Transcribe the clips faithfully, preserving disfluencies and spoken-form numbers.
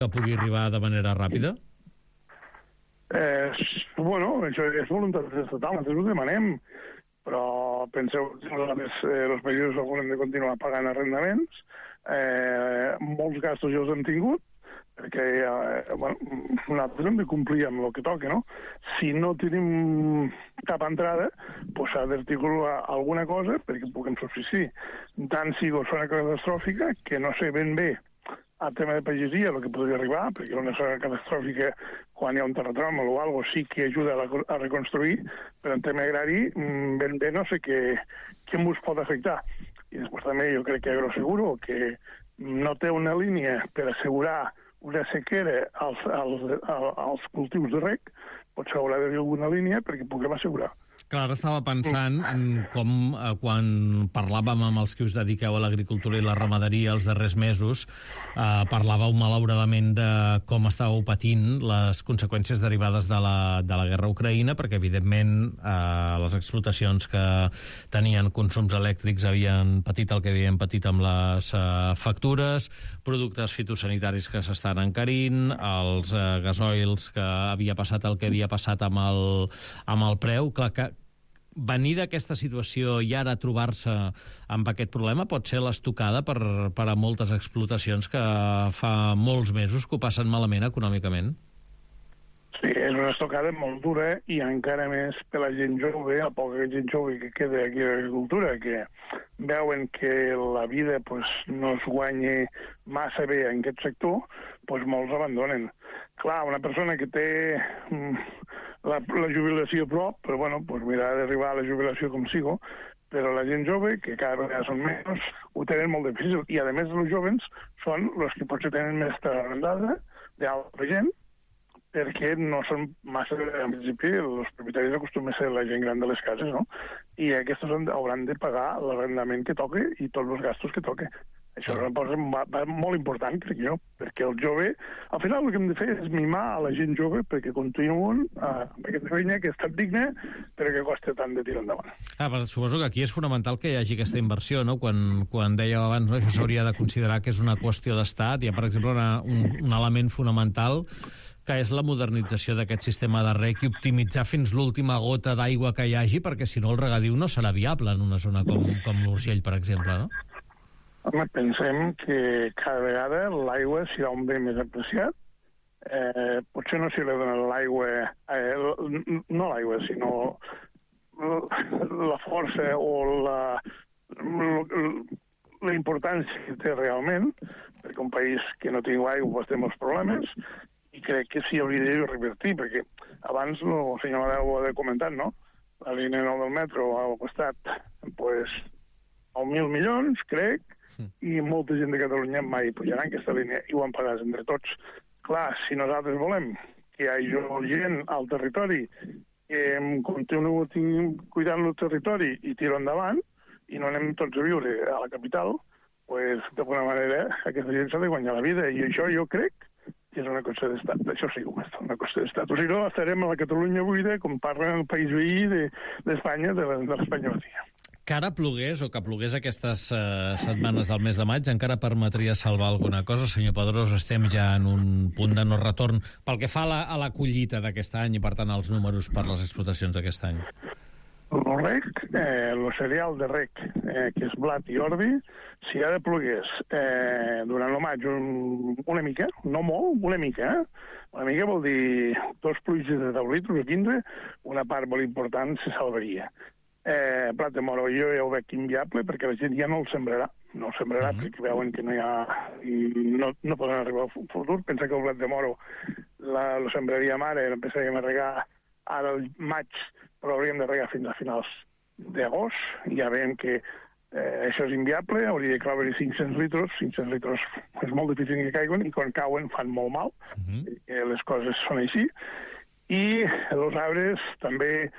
que pugui arribar de manera ràpida? Eh, bueno, això és voluntat estatal, nosaltres ho demanem, però penseu que nosaltres, eh, els països haurem de continuar pagant arrendaments, eh, molts gastos ja els hem tingut, perquè eh, bueno, nosaltres hem de complir amb el que toca, no? Si no tenim cap entrada, doncs s'ha d'articular alguna cosa perquè puguem subsistir. Tant si és una catastròfica, que no sé ben bé el tema de pagesia, el que podria arribar, perquè una zona catastròfica, quan hi ha un terratrèmol o alguna cosa, sí que ajuda a, la, a reconstruir, però en tema agrari, ben bé no sé què, què ens pot afectar. I després també jo crec que Agroseguro, que no té una línia per assegurar una sequera als, als, als cultius de rec, potser haurà d'haver alguna línia perquè puguem assegurar. Clar, ara estava pensant en com, eh, quan parlàvem amb els que us dediqueu a l'agricultura i la ramaderia els darrers mesos, eh, parlàveu malauradament de com estàveu patint les conseqüències derivades de la, de la guerra a Ucraïna, perquè, evidentment, eh, les explotacions que tenien consums elèctrics havien patit el que havien patit amb les eh, factures, productes fitosanitaris que s'estan encarint, els eh, gasoils que havia passat el que havia passat amb el, amb el preu. Clar que venir d'aquesta situació i ara trobar-se amb aquest problema pot ser l'estocada per, per a moltes explotacions que fa molts mesos que ho passen malament econòmicament. Sí, és una estocada molt dura i encara més per la gent jove, la poca gent jove que queda aquí a l'agricultura, que veuen que la vida pues, no es guanya massa bé en aquest sector, pues, molts abandonen. Clar, una persona que té la, la jubilació a prop, però bueno, pues mira, ha d'arribar a la jubilació com sigo, però la gent jove, que cada vegada són menys, ho tenen molt difícil. I, a més, els jovens són els que potser tenen més terra arrendada d'altra gent, perquè no són massa, en principi, els propietaris acostumen a ser la gent gran de les cases, no? I aquests hauran de pagar l'arrendament que toque i tots els gastos que toque. Això és una cosa molt important, crec jo, perquè el jove... Al final el que hem de fer és mimar a la gent jove perquè continuen amb aquesta feina que ha estat digna però que costa tant de tirar endavant. Ah, però suposo que aquí és fonamental que hi hagi aquesta inversió, no? Quan, quan dèieu abans, no? Això s'hauria de considerar que és una qüestió d'estat. Hi ha, per exemple, una, un, un element fonamental que és la modernització d'aquest sistema de rec i optimitzar fins l'última gota d'aigua que hi hagi, perquè si no el regadiu no serà viable en una zona com, com l'Urgell, per exemple, no? Home, pensem que cada vegada l'aigua serà un bé més apreciat. Eh, potser no s'hi dona l'aigua, eh, no l'aigua, sinó la força o la, la importància que té realment, perquè un país que no tingui aigua pues, té molts problemes, i crec que s'hi hauria de revertir, perquè abans el senyor Amadeu ho ha comentat, no? La línia nou del metro ha costat pues, mil milions, crec, i molta gent de Catalunya mai pujarà en aquesta línia i ho han pagat entre tots. Clar, si nosaltres volem que hi hagi gent al territori que continuï cuidant el territori i tiro endavant i no anem tots a viure a la capital, pues, d'alguna manera aquesta gent s'ha de guanyar la vida i això jo crec que és una cosa d'estat. Això sí que ho és, una cosa d'estat. O sigui, no estarem a la Catalunya buida com parlen el país veí d'Espanya, de, de l'Espanya batia. Que ara plogués o que plogués aquestes uh, setmanes del mes de maig encara permetria salvar alguna cosa? Senyor Pedrós, estem ja en un punt de no retorn pel que fa a la, a la collita d'aquest any i, per tant, als números per les explotacions d'aquest any. El rec, eh, el cereal de rec, eh, que és blat i ordi, si ara plogués eh, durant el maig un, una mica, no molt, una mica, eh? Una mica vol dir dos pluges de deu litres o quinze, una part molt important se salvaria. Eh, blat de moro jo ja ho veig inviable perquè la gent ja no el sembrarà no el sembrarà uh -huh. perquè veuen que no hi ha no, no poden arribar al futur. Pensa que el blat de moro la, lo sembraríem ara, empezaríem a regar ara al maig, però hauríem de regar fins a finals d'agost. Ja veiem que eh, això és inviable, hauria de caure cinc-cents litres, cinc-cents litres és molt difícil que caiguen i quan cauen fan molt mal, uh -huh. eh, les coses són així. I els arbres també,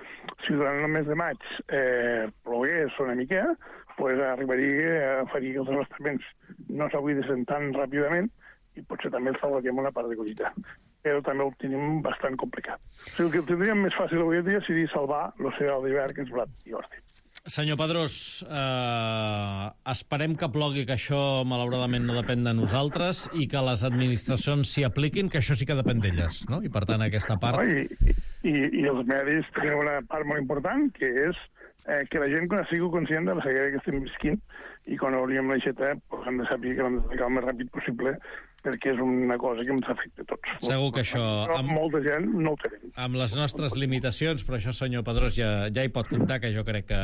si durant el mes de maig eh, plogués una mica, pues arribaria a fer que els abastaments no s'abuidessin tan ràpidament i potser també el salvaríem una part de collita. Però també ho tenim bastant complicat. O sigui, el que tindríem més fàcil avui dia seria salvar el cereal d'hivern, que és blat i ordi. Senyor Pedrós, eh, esperem que plogui, que això malauradament no depèn de nosaltres i que les administracions s'hi apliquin, que això sí que depèn d'elles, no? I per tant aquesta part... No, i, i, I els medis tenen una part molt important, que és eh, que la gent sigui conscient de la sequera que estem visquint i quan obrim l'aixeta pues, han de saber que l'han de tancar el més ràpid possible perquè és una cosa que ens afecta a tots. Segur que això... Amb... Molta gent no ho tenen. Amb les nostres limitacions, però això, senyor Pedrós, ja, ja hi pot comptar, que jo crec que,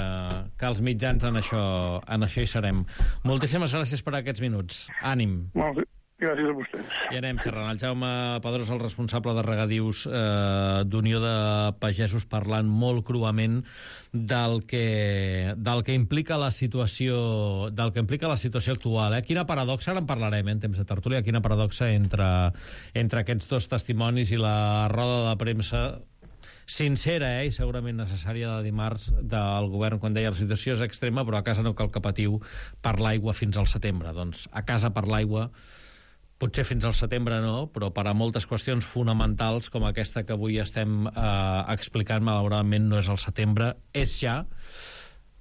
que els mitjans en això, en això hi serem. Moltíssimes gràcies per aquests minuts. Ànim. Molt bé. Gràcies a vostès. I anem xerrant. El Jaume Pedrós, el responsable de regadius eh, d'Unió de Pagesos, parlant molt cruament del que, del que implica la situació del que implica la situació actual. Eh? Quina paradoxa, ara en parlarem eh, en temps de tertúlia, quina paradoxa entre, entre aquests dos testimonis i la roda de premsa sincera eh, i segurament necessària de dimarts del govern quan deia la situació és extrema, però a casa no cal que patiu per l'aigua fins al setembre. Doncs a casa per l'aigua potser fins al setembre no, però per a moltes qüestions fonamentals com aquesta que avui estem eh, explicant, malauradament no és al setembre, és ja.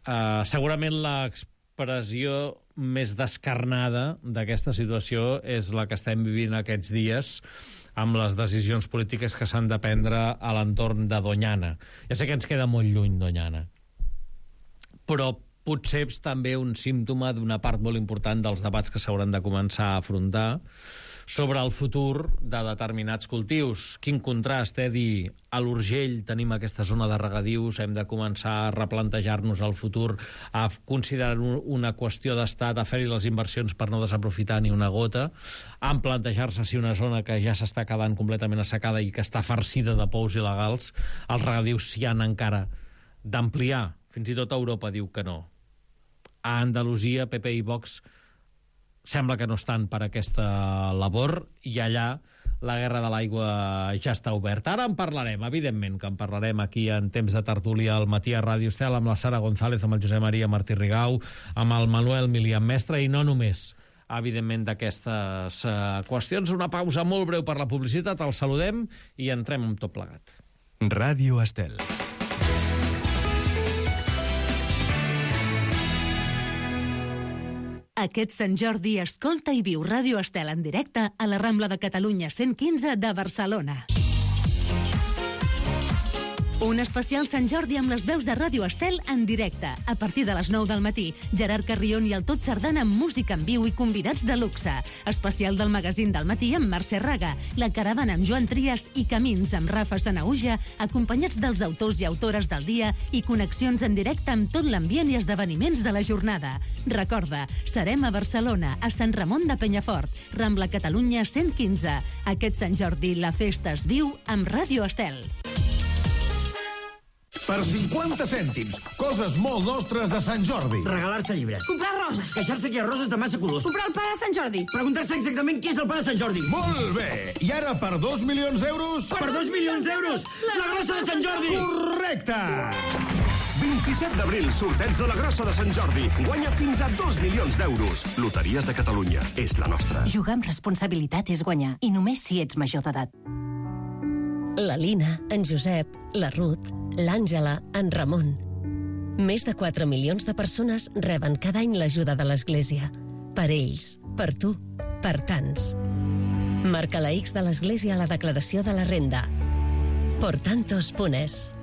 Eh, segurament l'expressió més descarnada d'aquesta situació és la que estem vivint aquests dies amb les decisions polítiques que s'han de prendre a l'entorn de Doñana. Ja sé que ens queda molt lluny Doñana, però potser és també un símptoma d'una part molt important dels debats que s'hauran de començar a afrontar sobre el futur de determinats cultius. Quin contrast, eh, dir a l'Urgell tenim aquesta zona de regadius, hem de començar a replantejar-nos el futur, a considerar una qüestió d'estat, a fer-hi les inversions per no desaprofitar ni una gota, a plantejar-se si una zona que ja s'està quedant completament assecada i que està farcida de pous il·legals, els regadius s'hi han encara d'ampliar. Fins i tot Europa diu que no. A Andalusia, P P i Vox sembla que no estan per aquesta labor i allà la guerra de l'aigua ja està oberta. Ara en parlarem, evidentment que en parlarem aquí en temps de tertúlia al matí a Ràdio Estel amb la Sara González, amb el Josep Maria Martí Rigau, amb el Manuel Milian Mestre i no només, evidentment, d'aquestes uh, qüestions. Una pausa molt breu per la publicitat, el saludem i entrem amb tot plegat. Ràdio Estel. Aquest Sant Jordi escolta i viu Ràdio Estel en directe a la Rambla de Catalunya cent quinze de Barcelona. Un especial Sant Jordi amb les veus de Ràdio Estel en directe. A partir de les nou del matí, Gerard Carrion i el Tot Sardana amb música en viu i convidats de luxe. Especial del magazín del matí amb Mercè Raga, La Caravana amb Joan Trias i Camins amb Rafa Sanauja, acompanyats dels autors i autores del dia i connexions en directe amb tot l'ambient i esdeveniments de la jornada. Recorda, serem a Barcelona, a Sant Ramon de Penyafort, Rambla Catalunya cent quinze. Aquest Sant Jordi la festa es viu amb Ràdio Estel. Per cinquanta cèntims, coses molt nostres de Sant Jordi. Regalar-se llibres. Comprar roses. Queixar-se que hi ha roses de massa colors. Comprar el pa de Sant Jordi. Preguntar-se exactament què és el pa de Sant Jordi. Molt bé. I ara per dos milions d'euros... Per, per dos milions d'euros! La, la grossa de Sant Jordi! Correcte! vint-i-set d'abril, sorteig de la grossa de Sant Jordi. Guanya fins a dos milions d'euros. Loteries de Catalunya. És la nostra. Jugar amb responsabilitat és guanyar. I només si ets major d'edat. La Lina, en Josep, la Ruth, l'Àngela, en Ramon. Més de quatre milions de persones reben cada any l'ajuda de l'Església. Per ells, per tu, per tants. Marca la X de l'Església a la declaració de la renda. Por tantos punt es.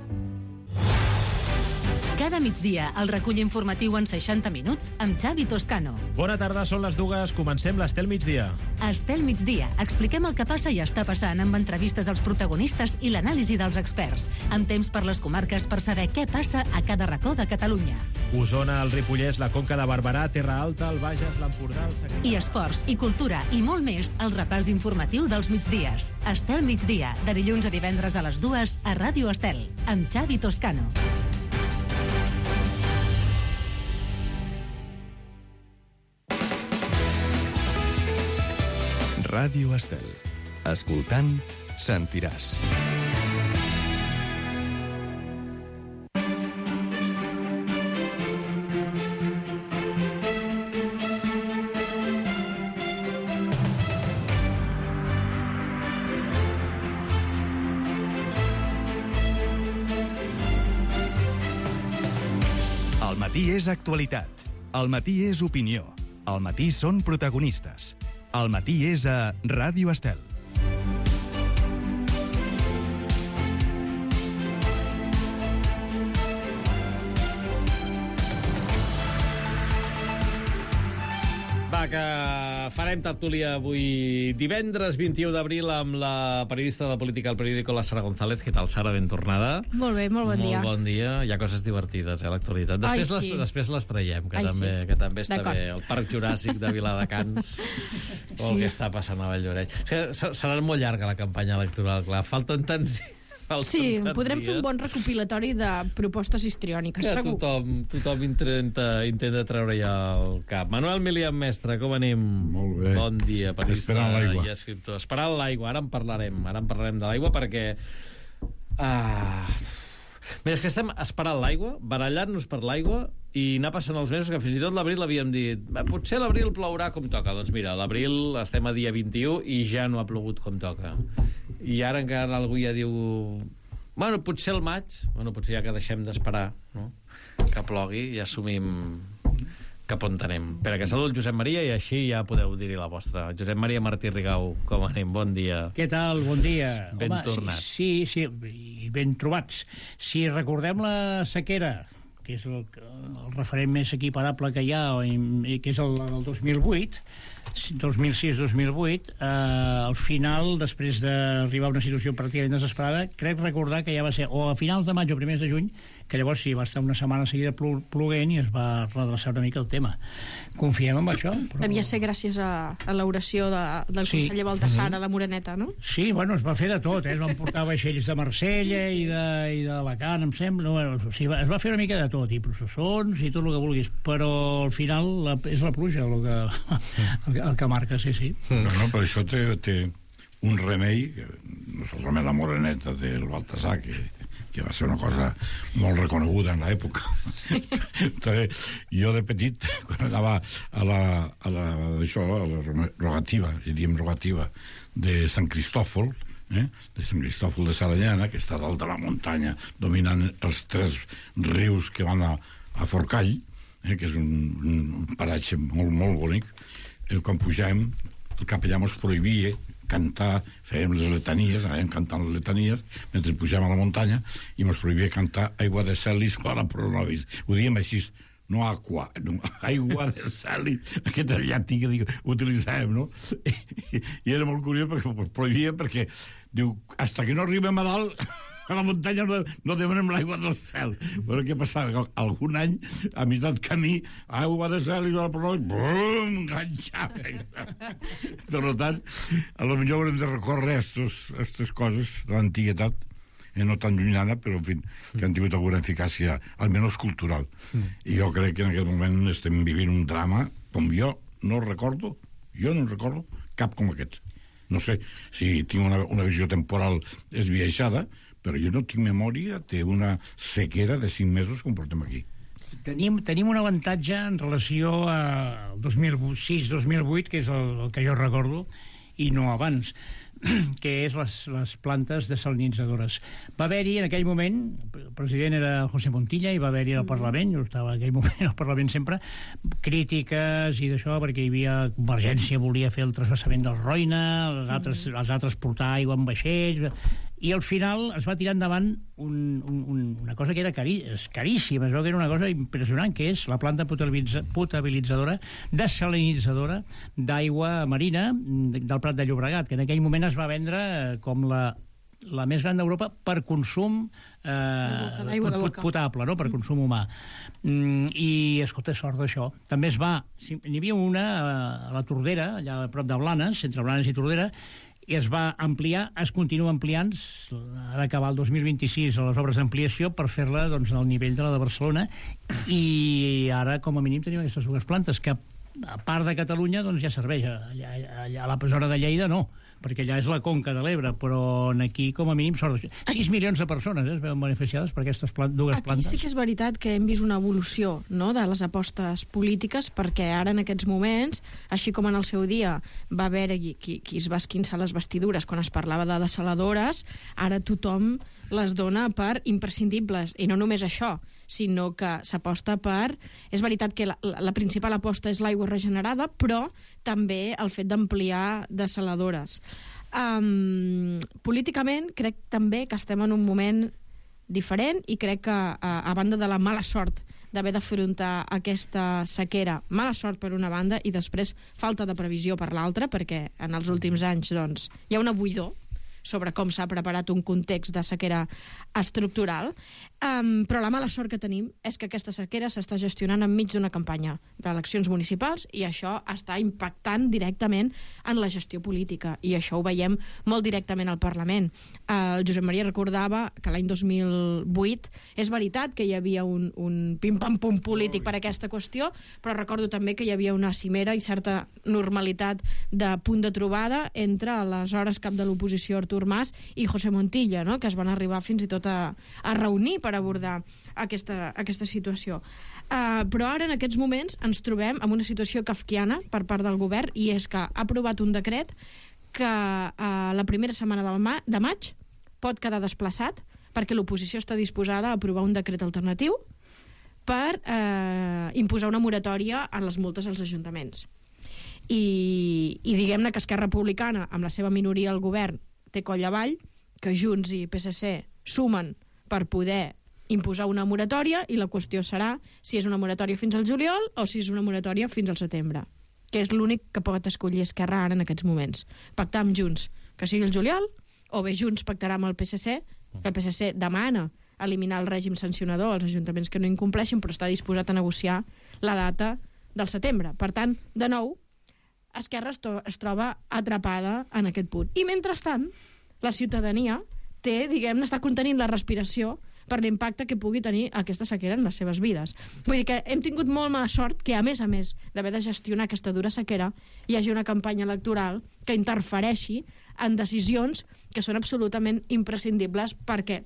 Cada migdia, el recull informatiu en seixanta minuts amb Xavi Toscano. Bona tarda, són les dues. Comencem l'Estel Migdia. Estel Migdia. Expliquem el que passa i està passant amb entrevistes als protagonistes i l'anàlisi dels experts. Amb temps per les comarques per saber què passa a cada racó de Catalunya. Osona, el Ripollès, la Conca de Barberà, Terra Alta, el Bages, l'Empordà, el Segrià... I esports, i cultura, i molt més al repàs informatiu dels migdies. Estel Migdia, de dilluns a divendres a les dues a Ràdio Estel, amb Xavi Toscano. Ràdio Estel. Escoltant, sentiràs. matí és actualitat. Al matí és opinió. Al matí són protagonistes. Al matí és a Ràdio Estel. Va, que farem tertúlia avui divendres vint-i-u d'abril amb la periodista de política al periòdico, la Sara González. Què tal, Sara? Ben tornada. Molt bé, molt bon molt dia. Molt bon dia. Hi ha coses divertides, eh, a l'actualitat. Després, Ai, les, sí. després les traiem, que, Ai, també, sí. que també està D'acord. bé. El Parc Juràssic de Viladecans, o Sí. el que està passant a Valldoreix. O sigui, se- serà molt llarga la campanya electoral, clar. Falten tants dies. Sí, podrem fer un bon recopilatori de propostes histriòniques, Que segur. tothom, tothom intenta, intenta treure ja el cap. Manuel Milian, mestre, com anem? Molt bé. Bon dia, periodista Esperant l'aigua. i escriptor. Esperant l'aigua, ara en parlarem. Ara en parlarem de l'aigua perquè... Ah... Mira, és que estem esperant l'aigua, barallant-nos per l'aigua i anar passant els mesos, que fins i tot l'abril havíem dit "Va, potser l'abril plourà com toca". Doncs mira, l'abril estem a dia vint-i-u i ja no ha plogut com toca. I ara encara algú ja diu bueno, potser el maig, bueno, potser ja que deixem d'esperar, no? Que plogui i assumim cap on anem. Espera, que salut Josep Maria i així ja podeu dir-hi la vostra. Josep Maria Martí Rigau, com anem? Bon dia. Què tal? Bon dia. Ben Home, tornat. Sí, sí, i ben trobats. Si recordem la sequera, que és el, el referent més equiparable que hi ha, i, que és el, el dos mil vuit, dos mil sis dos mil vuit, eh, al final, després d'arribar a una situació pràcticament desesperada, crec recordar que ja va ser o a finals de maig o primers de juny, que llavors sí, va estar una setmana seguida plu ploguent i es va redreçar una mica el tema. Confiem en això. Però... Devia ser gràcies a, a l'oració de, del Sí. conseller Baltasar a la Moreneta, no? Sí, bueno, es va fer de tot, eh? Es van portar vaixells de Marsella i de- i d'Alacant, em sembla. Bueno, o sigui, es va fer una mica de tot, i processons i tot el que vulguis, però al final la, és la pluja el que, el, que- el que marca, sí, sí. No, no, però això té, té un remei, que no solament la Moreneta del Baltasar, que, que va ser una cosa molt reconeguda en l'època. També, jo de petit, quan anava a la, a la, això, a la rogativa, i diem rogativa, de Sant Cristòfol, eh? de Sant Cristòfol de Saranyana, que està dalt de la muntanya, dominant els tres rius que van a, a Forcall, eh? que és un, un paratge molt, molt bonic. Eh, quan pujàvem, el capellà mos prohibia cantar, fèiem les letanies, anàvem cantant les letanies, mentre pujàvem a la muntanya, i mos prohibia cantar Aigua de Celis, Clara pro nobis. Ho diem així, no aqua, no, Aigua de Celis, aquest és el llatí que dic, utilitzàvem, no? I, i era molt curiós perquè mos prohibia, perquè diu, hasta que no arribem a dalt, a la muntanya no, no demanem l'aigua del cel. Però què passava? Algun any, a meitat camí, aigua de cel i la prova, bum, enganxava. Per tant, a lo millor haurem de recórrer a aquestes coses de l'antiguitat, eh, no tan llunyana, però en fi, que han tingut alguna eficàcia, almenys cultural. Mm. I jo crec que en aquest moment estem vivint un drama, com jo no recordo, jo no recordo cap com aquest. No sé si tinc una, una visió temporal esbiaixada, però jo no tinc memòria d'una sequera de cinc mesos com portem aquí. Tenim, tenim un avantatge en relació al dos mil sis dos mil vuit, que és el, el que jo recordo, i no abans, que és les, les plantes desalinitzadores. Va haver-hi en aquell moment, el president era José Montilla, i va haver-hi al Parlament, jo estava en aquell moment al Parlament sempre, crítiques i d'això, perquè hi havia Convergència, volia fer el trasbassament del Roine, els altres, els altres portar aigua en vaixells, i al final es va tirar endavant un, un, un, una cosa que era cari, caríssima, es veu que era una cosa impressionant, que és la planta potabilitza, potabilitzadora, desalinitzadora d'aigua marina del Prat de Llobregat, que en aquell moment es va vendre com la, la més gran d'Europa per consum eh, D'aigua de pot, boca. potable, no? Per consum humà. Mm, I, escolta, sort d'això. També es va... N'hi havia una a la Tordera, allà a prop de Blanes, entre Blanes i Tordera, i es va ampliar, es continua ampliant, ha d'acabar el dos mil vint-i-sis a les obres d'ampliació per fer-la doncs, al nivell de la de Barcelona, i ara com a mínim tenim aquestes dues plantes que a part de Catalunya doncs, ja serveix, allà, allà a la zona de Lleida no, perquè allà és la conca de l'Ebre, però aquí, com a mínim, són sis milions de persones eh, es veuen beneficiades per aquestes plant dues Aquí plantes. sí que és veritat que hem vist una evolució, no?, de les apostes polítiques, perquè ara, en aquests moments, així com en el seu dia va haver qui, qui es va esquinçar les vestidures quan es parlava de desaladores, ara tothom les dona per imprescindibles. I no només això, sinó que s'aposta per... És veritat que la, la principal aposta és l'aigua regenerada, però també el fet d'ampliar desaladores. Um, políticament, crec també que estem en un moment diferent i crec que, a, a banda de la mala sort d'haver d'afrontar aquesta sequera, mala sort per una banda i després falta de previsió per l'altra, perquè en els últims anys doncs, hi ha una buidor sobre com s'ha preparat un context de sequera estructural, um, però la mala sort que tenim és que aquesta sequera s'està gestionant enmig d'una campanya d'eleccions municipals i això està impactant directament en la gestió política, i això ho veiem molt directament al Parlament. Uh, el Josep Maria recordava que l'any dos mil vuit és veritat que hi havia un, un pim-pam-pum polític per aquesta qüestió, però recordo també que hi havia una cimera i certa normalitat de punt de trobada entre aleshores cap de l'oposició Artur Mas i José Montilla, no?, que es van arribar fins i tot a, a reunir per abordar aquesta, aquesta situació. Uh, però ara, en aquests moments, ens trobem en una situació kafkiana per part del govern, i és que ha aprovat un decret que uh, la primera setmana del ma de maig pot quedar desplaçat perquè l'oposició està disposada a aprovar un decret alternatiu per uh, imposar una moratòria en les multes als ajuntaments. I, i diguem-ne que Esquerra Republicana, amb la seva minoria al govern, té coll avall, que Junts i P S C sumen per poder imposar una moratòria, i la qüestió serà si és una moratòria fins al juliol o si és una moratòria fins al setembre, que és l'únic que pot escollir Esquerra ara en aquests moments. Pactar amb Junts que sigui el juliol, o bé Junts pactarà amb el P S C, que el P S C demana eliminar el règim sancionador als ajuntaments que no incompleixin, però està disposat a negociar la data del setembre. Per tant, de nou, Esquerra es, es troba atrapada en aquest punt. I mentrestant, la ciutadania té, diguem-ne, està contenint la respiració per l'impacte que pugui tenir aquesta sequera en les seves vides. Vull dir que hem tingut molt mala sort que, a més a més d'haver de gestionar aquesta dura sequera, hi hagi una campanya electoral que interfereixi en decisions que són absolutament imprescindibles perquè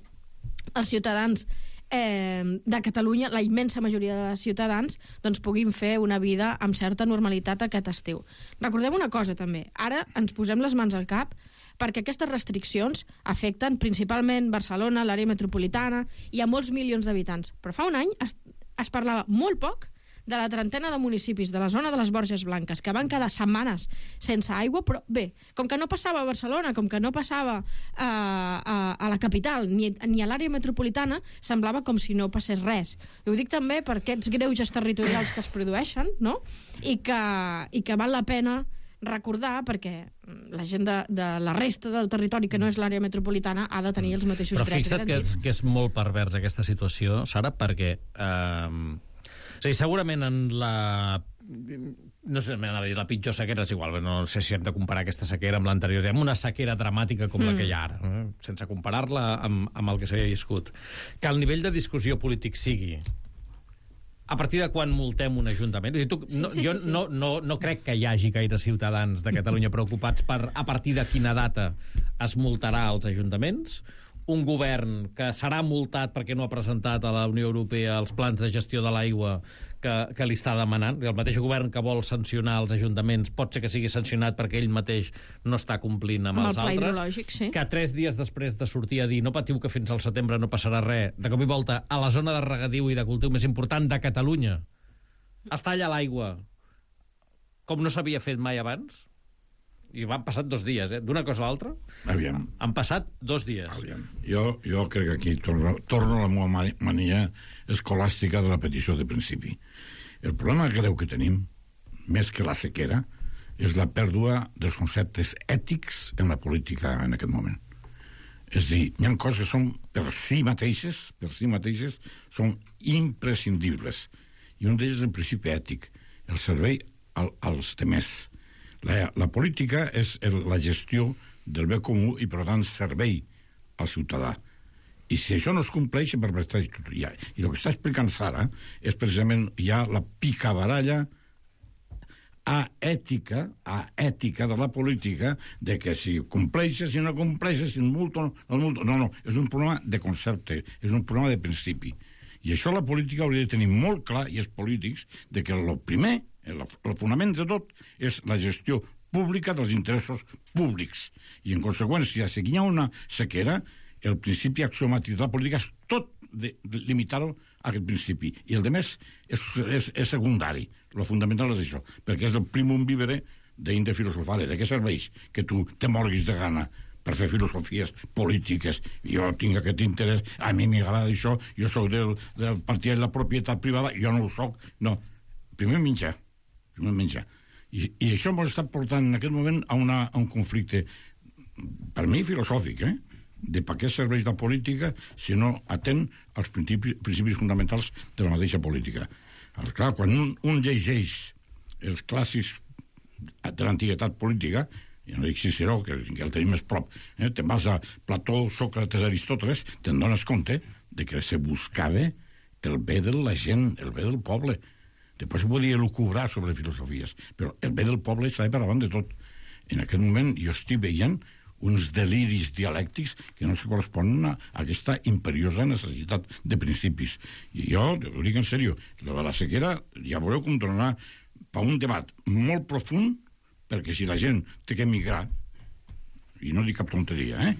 els ciutadans Eh, de Catalunya, la immensa majoria de ciutadans, doncs puguin fer una vida amb certa normalitat aquest estiu. Recordem una cosa també, ara ens posem les mans al cap perquè aquestes restriccions afecten principalment Barcelona, l'àrea metropolitana, i a molts milions d'habitants. Però fa un any es, es parlava molt poc de la trentena de municipis de la zona de les Borges Blanques, que van quedar setmanes sense aigua, però bé, com que no passava a Barcelona, com que no passava a, a, a la capital, ni, ni a l'àrea metropolitana, semblava com si no passés res. I ho dic també per aquests greuges territorials que es produeixen, no?, i que, i que val la pena recordar, perquè la gent de, de la resta del territori que no és l'àrea metropolitana ha de tenir els mateixos drets. Però fixa't que és, que és molt pervers aquesta situació, Sara, perquè... Eh, o sigui, segurament en la... no sé, m'anava a dir la pitjor sequera, és igual, no sé si hem de comparar aquesta sequera amb l'anterior, amb una sequera dramàtica com mm. la que hi ha ara, eh? Sense comparar-la amb, amb el que s'havia viscut. Que el nivell de discussió polític sigui a partir de quan multem un ajuntament. Tu, no, sí, sí, jo sí, sí. No, no, no crec que hi hagi gaire ciutadans de Catalunya preocupats per a partir de quina data es multarà als ajuntaments. Un govern que serà multat perquè no ha presentat a la Unió Europea els plans de gestió de l'aigua que, que li està demanant. El mateix govern que vol sancionar els ajuntaments pot ser que sigui sancionat perquè ell mateix no està complint amb, amb els el altres. Sí. Que tres dies després de sortir a dir no patiu que fins al setembre no passarà res, de cop i volta a la zona de regadiu i de cultiu més important de Catalunya es talla l'aigua com no s'havia fet mai abans. I van passat dos dies, eh? D'una cosa a l'altra. Aviam. Han passat dos dies. Aviam. Jo, jo crec que aquí torno, torno a la meva mania escolàstica de la petició de principi. El problema greu que tenim, més que la sequera, és la pèrdua dels conceptes ètics en la política en aquest moment. És a dir, hi ha coses que són per si mateixes, per si mateixes, són imprescindibles. I un d'ells és el principi ètic, el servei al, als demés. La, la política és el, la gestió del bé comú i, per tant, servei al ciutadà. I si això no es compleix, per prestar ja. I el que està explicant Sara és precisament ja la picabaralla a ètica, a ètica de la política, de que si compleixes, si no compleixes, si multo, no multo... No, no, és un problema de concepte, és un problema de principi. I això la política hauria de tenir molt clar, i els polítics, de que el primer, el, el fonament de tot, és la gestió pública dels interessos públics. I, en conseqüència, si hi ha una sequera, el principi axiomàtic de la política és tot de, de limitar-ho a aquest principi. I el de més és, és, és secundari. Lo fundamental és això, perquè és el primum vivere d'inde filosofare. De què serveix que tu te morguis de gana per fer filosofies polítiques? Jo tinc aquest interès, a mi m'agrada això, jo soc del, del partit de la propietat privada, jo no ho soc. No, primer menjar. Primer menjar. I, i això ens està portant en aquest moment a, una, a un conflicte, per mi, filosòfic, eh? De per què serveix la política si no atén als principis, principis fonamentals de la mateixa política. Alors, clar, quan un, un llegeix els clàssics de l'antiguitat política, i no dic Ciceró, que, que el tenim més prop, eh? Te'n vas a Plató, Sòcrates, Aristòteles, te'n dones compte de que se buscava el bé de la gent, el bé del poble. Després se podia lucubrar sobre filosofies, però el bé del poble estava per davant de tot. En aquest moment jo estic veient uns deliris dialèctics que no se corresponen a aquesta imperiosa necessitat de principis. I jo, ho dic en sèrio, la sequera ja veureu com tornarà per un debat molt profund, perquè si la gent té que emigrar, i no dic cap tonteria, eh?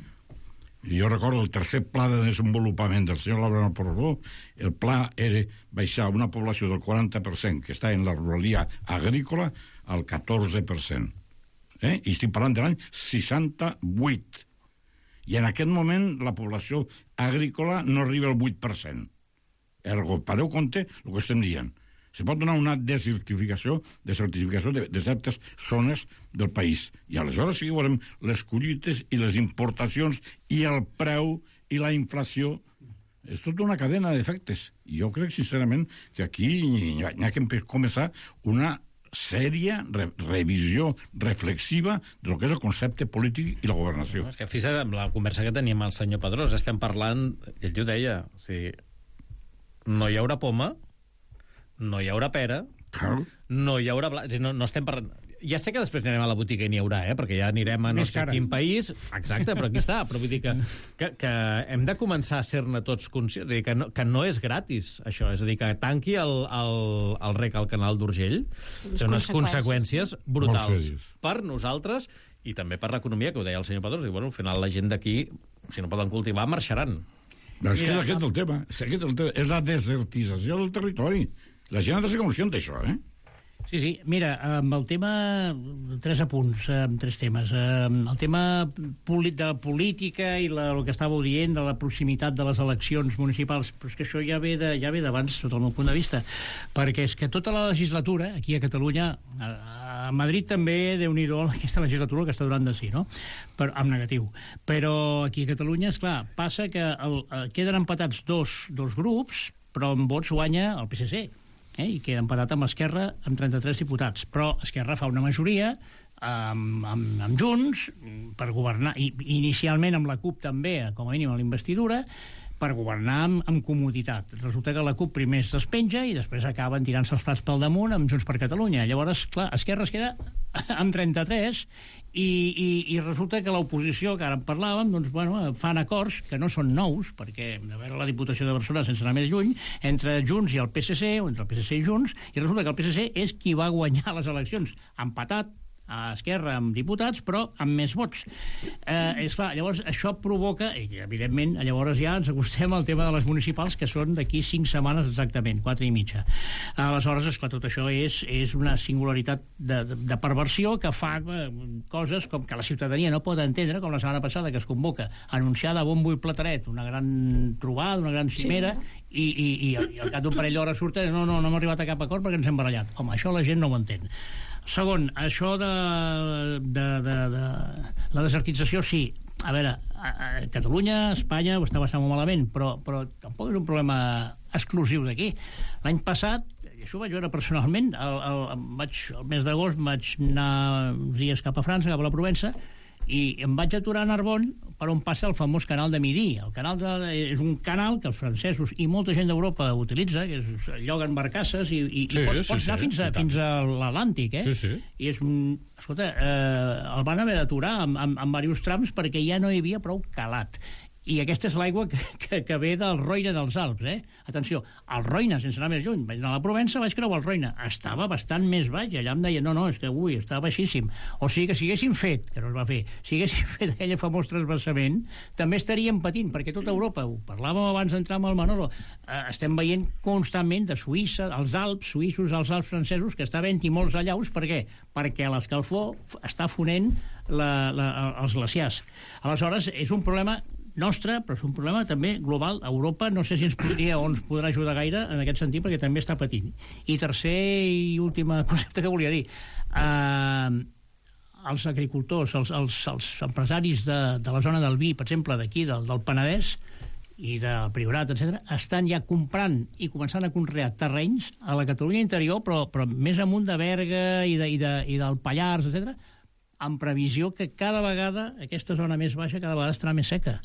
Jo recordo el tercer pla de desenvolupament del senyor Labrano Porró, el pla era baixar una població del quaranta per cent que està en la ruralia agrícola al catorze per cent. Eh? I estic parlant de l'any seixanta-vuit. I en aquest moment la població agrícola no arriba al vuit per cent. Ergo, pareu compte el que estem dient. Se pot donar una desertificació, desertificació de, de certes zones del país. I aleshores sí que veurem les collites i les importacions i el preu i la inflació. És tota una cadena d'efectes. I jo crec, sincerament, que aquí hi ha, hi ha que començar una sèria re revisió reflexiva de lo que és el concepte polític i la governació. No, és que fixa't amb la conversa que teníem amb el senyor Pedrós, estem parlant, ell ho deia, o sigui, no hi haurà poma, no hi haurà pera, claro. No hi haurà... Bla... No, no estem parlant... Ja sé que després anirem a la botiga i n'hi haurà, eh? Perquè ja anirem a no sé quin país... Exacte, però aquí està. Però vull dir que, que, que hem de començar a ser-ne tots conscients. És a dir, que no, que no és gratis, això. És a dir, que tanqui el, el, el rec al canal d'Urgell té unes conseqüències brutals per nosaltres i també per l'economia, que ho deia el senyor Pedrós. Diu, bueno, al final la gent d'aquí, si no poden cultivar, marxaran. No, és que és aquest el tema. És, aquest el tema. És la desertització del territori. La gent ha de ser conscient d'això, eh? Sí, sí. Mira, amb el tema... Tres apunts, amb tres temes. El tema de la política i la, el que estàveu dient de la proximitat de les eleccions municipals, però és que això ja ve de, ja ve d'abans, sota el meu punt de vista, perquè és que tota la legislatura, aquí a Catalunya, a, a Madrid també, Déu-n'hi-do, aquesta legislatura que està durant de sí, no? Però, amb negatiu. Però aquí a Catalunya, esclar, passa que el, queden empatats dos, dos grups, però en vots guanya el P S C. Eh, i queda empatat amb Esquerra amb trenta-tres diputats, però Esquerra fa una majoria amb, amb, amb Junts per governar, i inicialment amb la CUP també, com a mínim a l'investidura, per governar amb, amb comoditat. Resulta que la CUP primer es despenja i després acaben tirant-se els plats pel damunt amb Junts per Catalunya. Llavors, clar, Esquerra es queda amb trenta-tres i, i, i resulta que l'oposició, que ara en parlàvem, doncs, bueno, fan acords que no són nous, perquè a veure la Diputació de Barcelona, sense anar més lluny, entre Junts i el P S C, o entre el P S C i Junts, i resulta que el P S C és qui va guanyar les eleccions, empatat a Esquerra amb diputats, però amb més vots. Eh, és clar, llavors això provoca, i evidentment llavors ja ens acostem al tema de les municipals, que són d'aquí cinc setmanes exactament, quatre i mitja. Aleshores, esclar, tot això és, és una singularitat de, de, de perversió que fa eh, coses com que la ciutadania no pot entendre, com la setmana passada que es convoca, anunciada a bombo i plateret, una gran trobada, una gran cimera, sí. i, i, i, i al cap d'un parell d'hores surten, no, no, no hem arribat a cap acord perquè ens hem barallat. Home, això la gent no ho entén. Segon, això de, de, de, de la desertització, sí. A veure, a, a Catalunya, Espanya ho està passant molt malament, però, però tampoc és un problema exclusiu d'aquí. L'any passat, i això ho vaig veure personalment, el, el, vaig, el mes d'agost vaig anar uns dies cap a França, cap a la Provença, i em vaig aturar a Narbonne per on passa el famós canal de Midi. El canal de, és un canal que els francesos i molta gent d'Europa utilitza, que és, lloguen barcasses i, i, sí, i pots, sí, pots anar sí, fins, a, fins a l'Atlàntic, eh? Sí, sí. I és un... Escolta, eh, el van haver d'aturar amb, amb, amb diversos trams perquè ja no hi havia prou calat. I aquesta és l'aigua que, que, que ve del Roine dels Alps, eh? Atenció, el Roine, sense anar més lluny, vaig anar a la Provença, vaig creuar el Roine, estava bastant més baix, allà em deia, no, no, és que, ui, estava baixíssim. O sigui que si haguéssim fet, que no es va fer, si haguéssim fet aquell famós transversament, també estaríem patint, perquè tota Europa, ho parlàvem abans d'entrar amb el Manolo, eh, estem veient constantment de Suïssa, els Alps, suïssos, els Alps francesos, que està havent-hi molts allaus, per què? Perquè l'escalfor està fonent la, la, els glaciars. Aleshores, és un problema nostre, però és un problema també global. Europa no sé si ens podria o ens podrà ajudar gaire en aquest sentit, perquè també està patint. I tercer i últim concepte que volia dir, eh, els agricultors, els, els, els empresaris de, de la zona del vi, per exemple, d'aquí, del, del Penedès i del Priorat, etcètera, estan ja comprant i començant a conrear terrenys a la Catalunya interior, però, però més amunt de Berga i, de, i, de, i del Pallars, etcètera, en previsió que cada vegada aquesta zona més baixa cada vegada estarà més seca.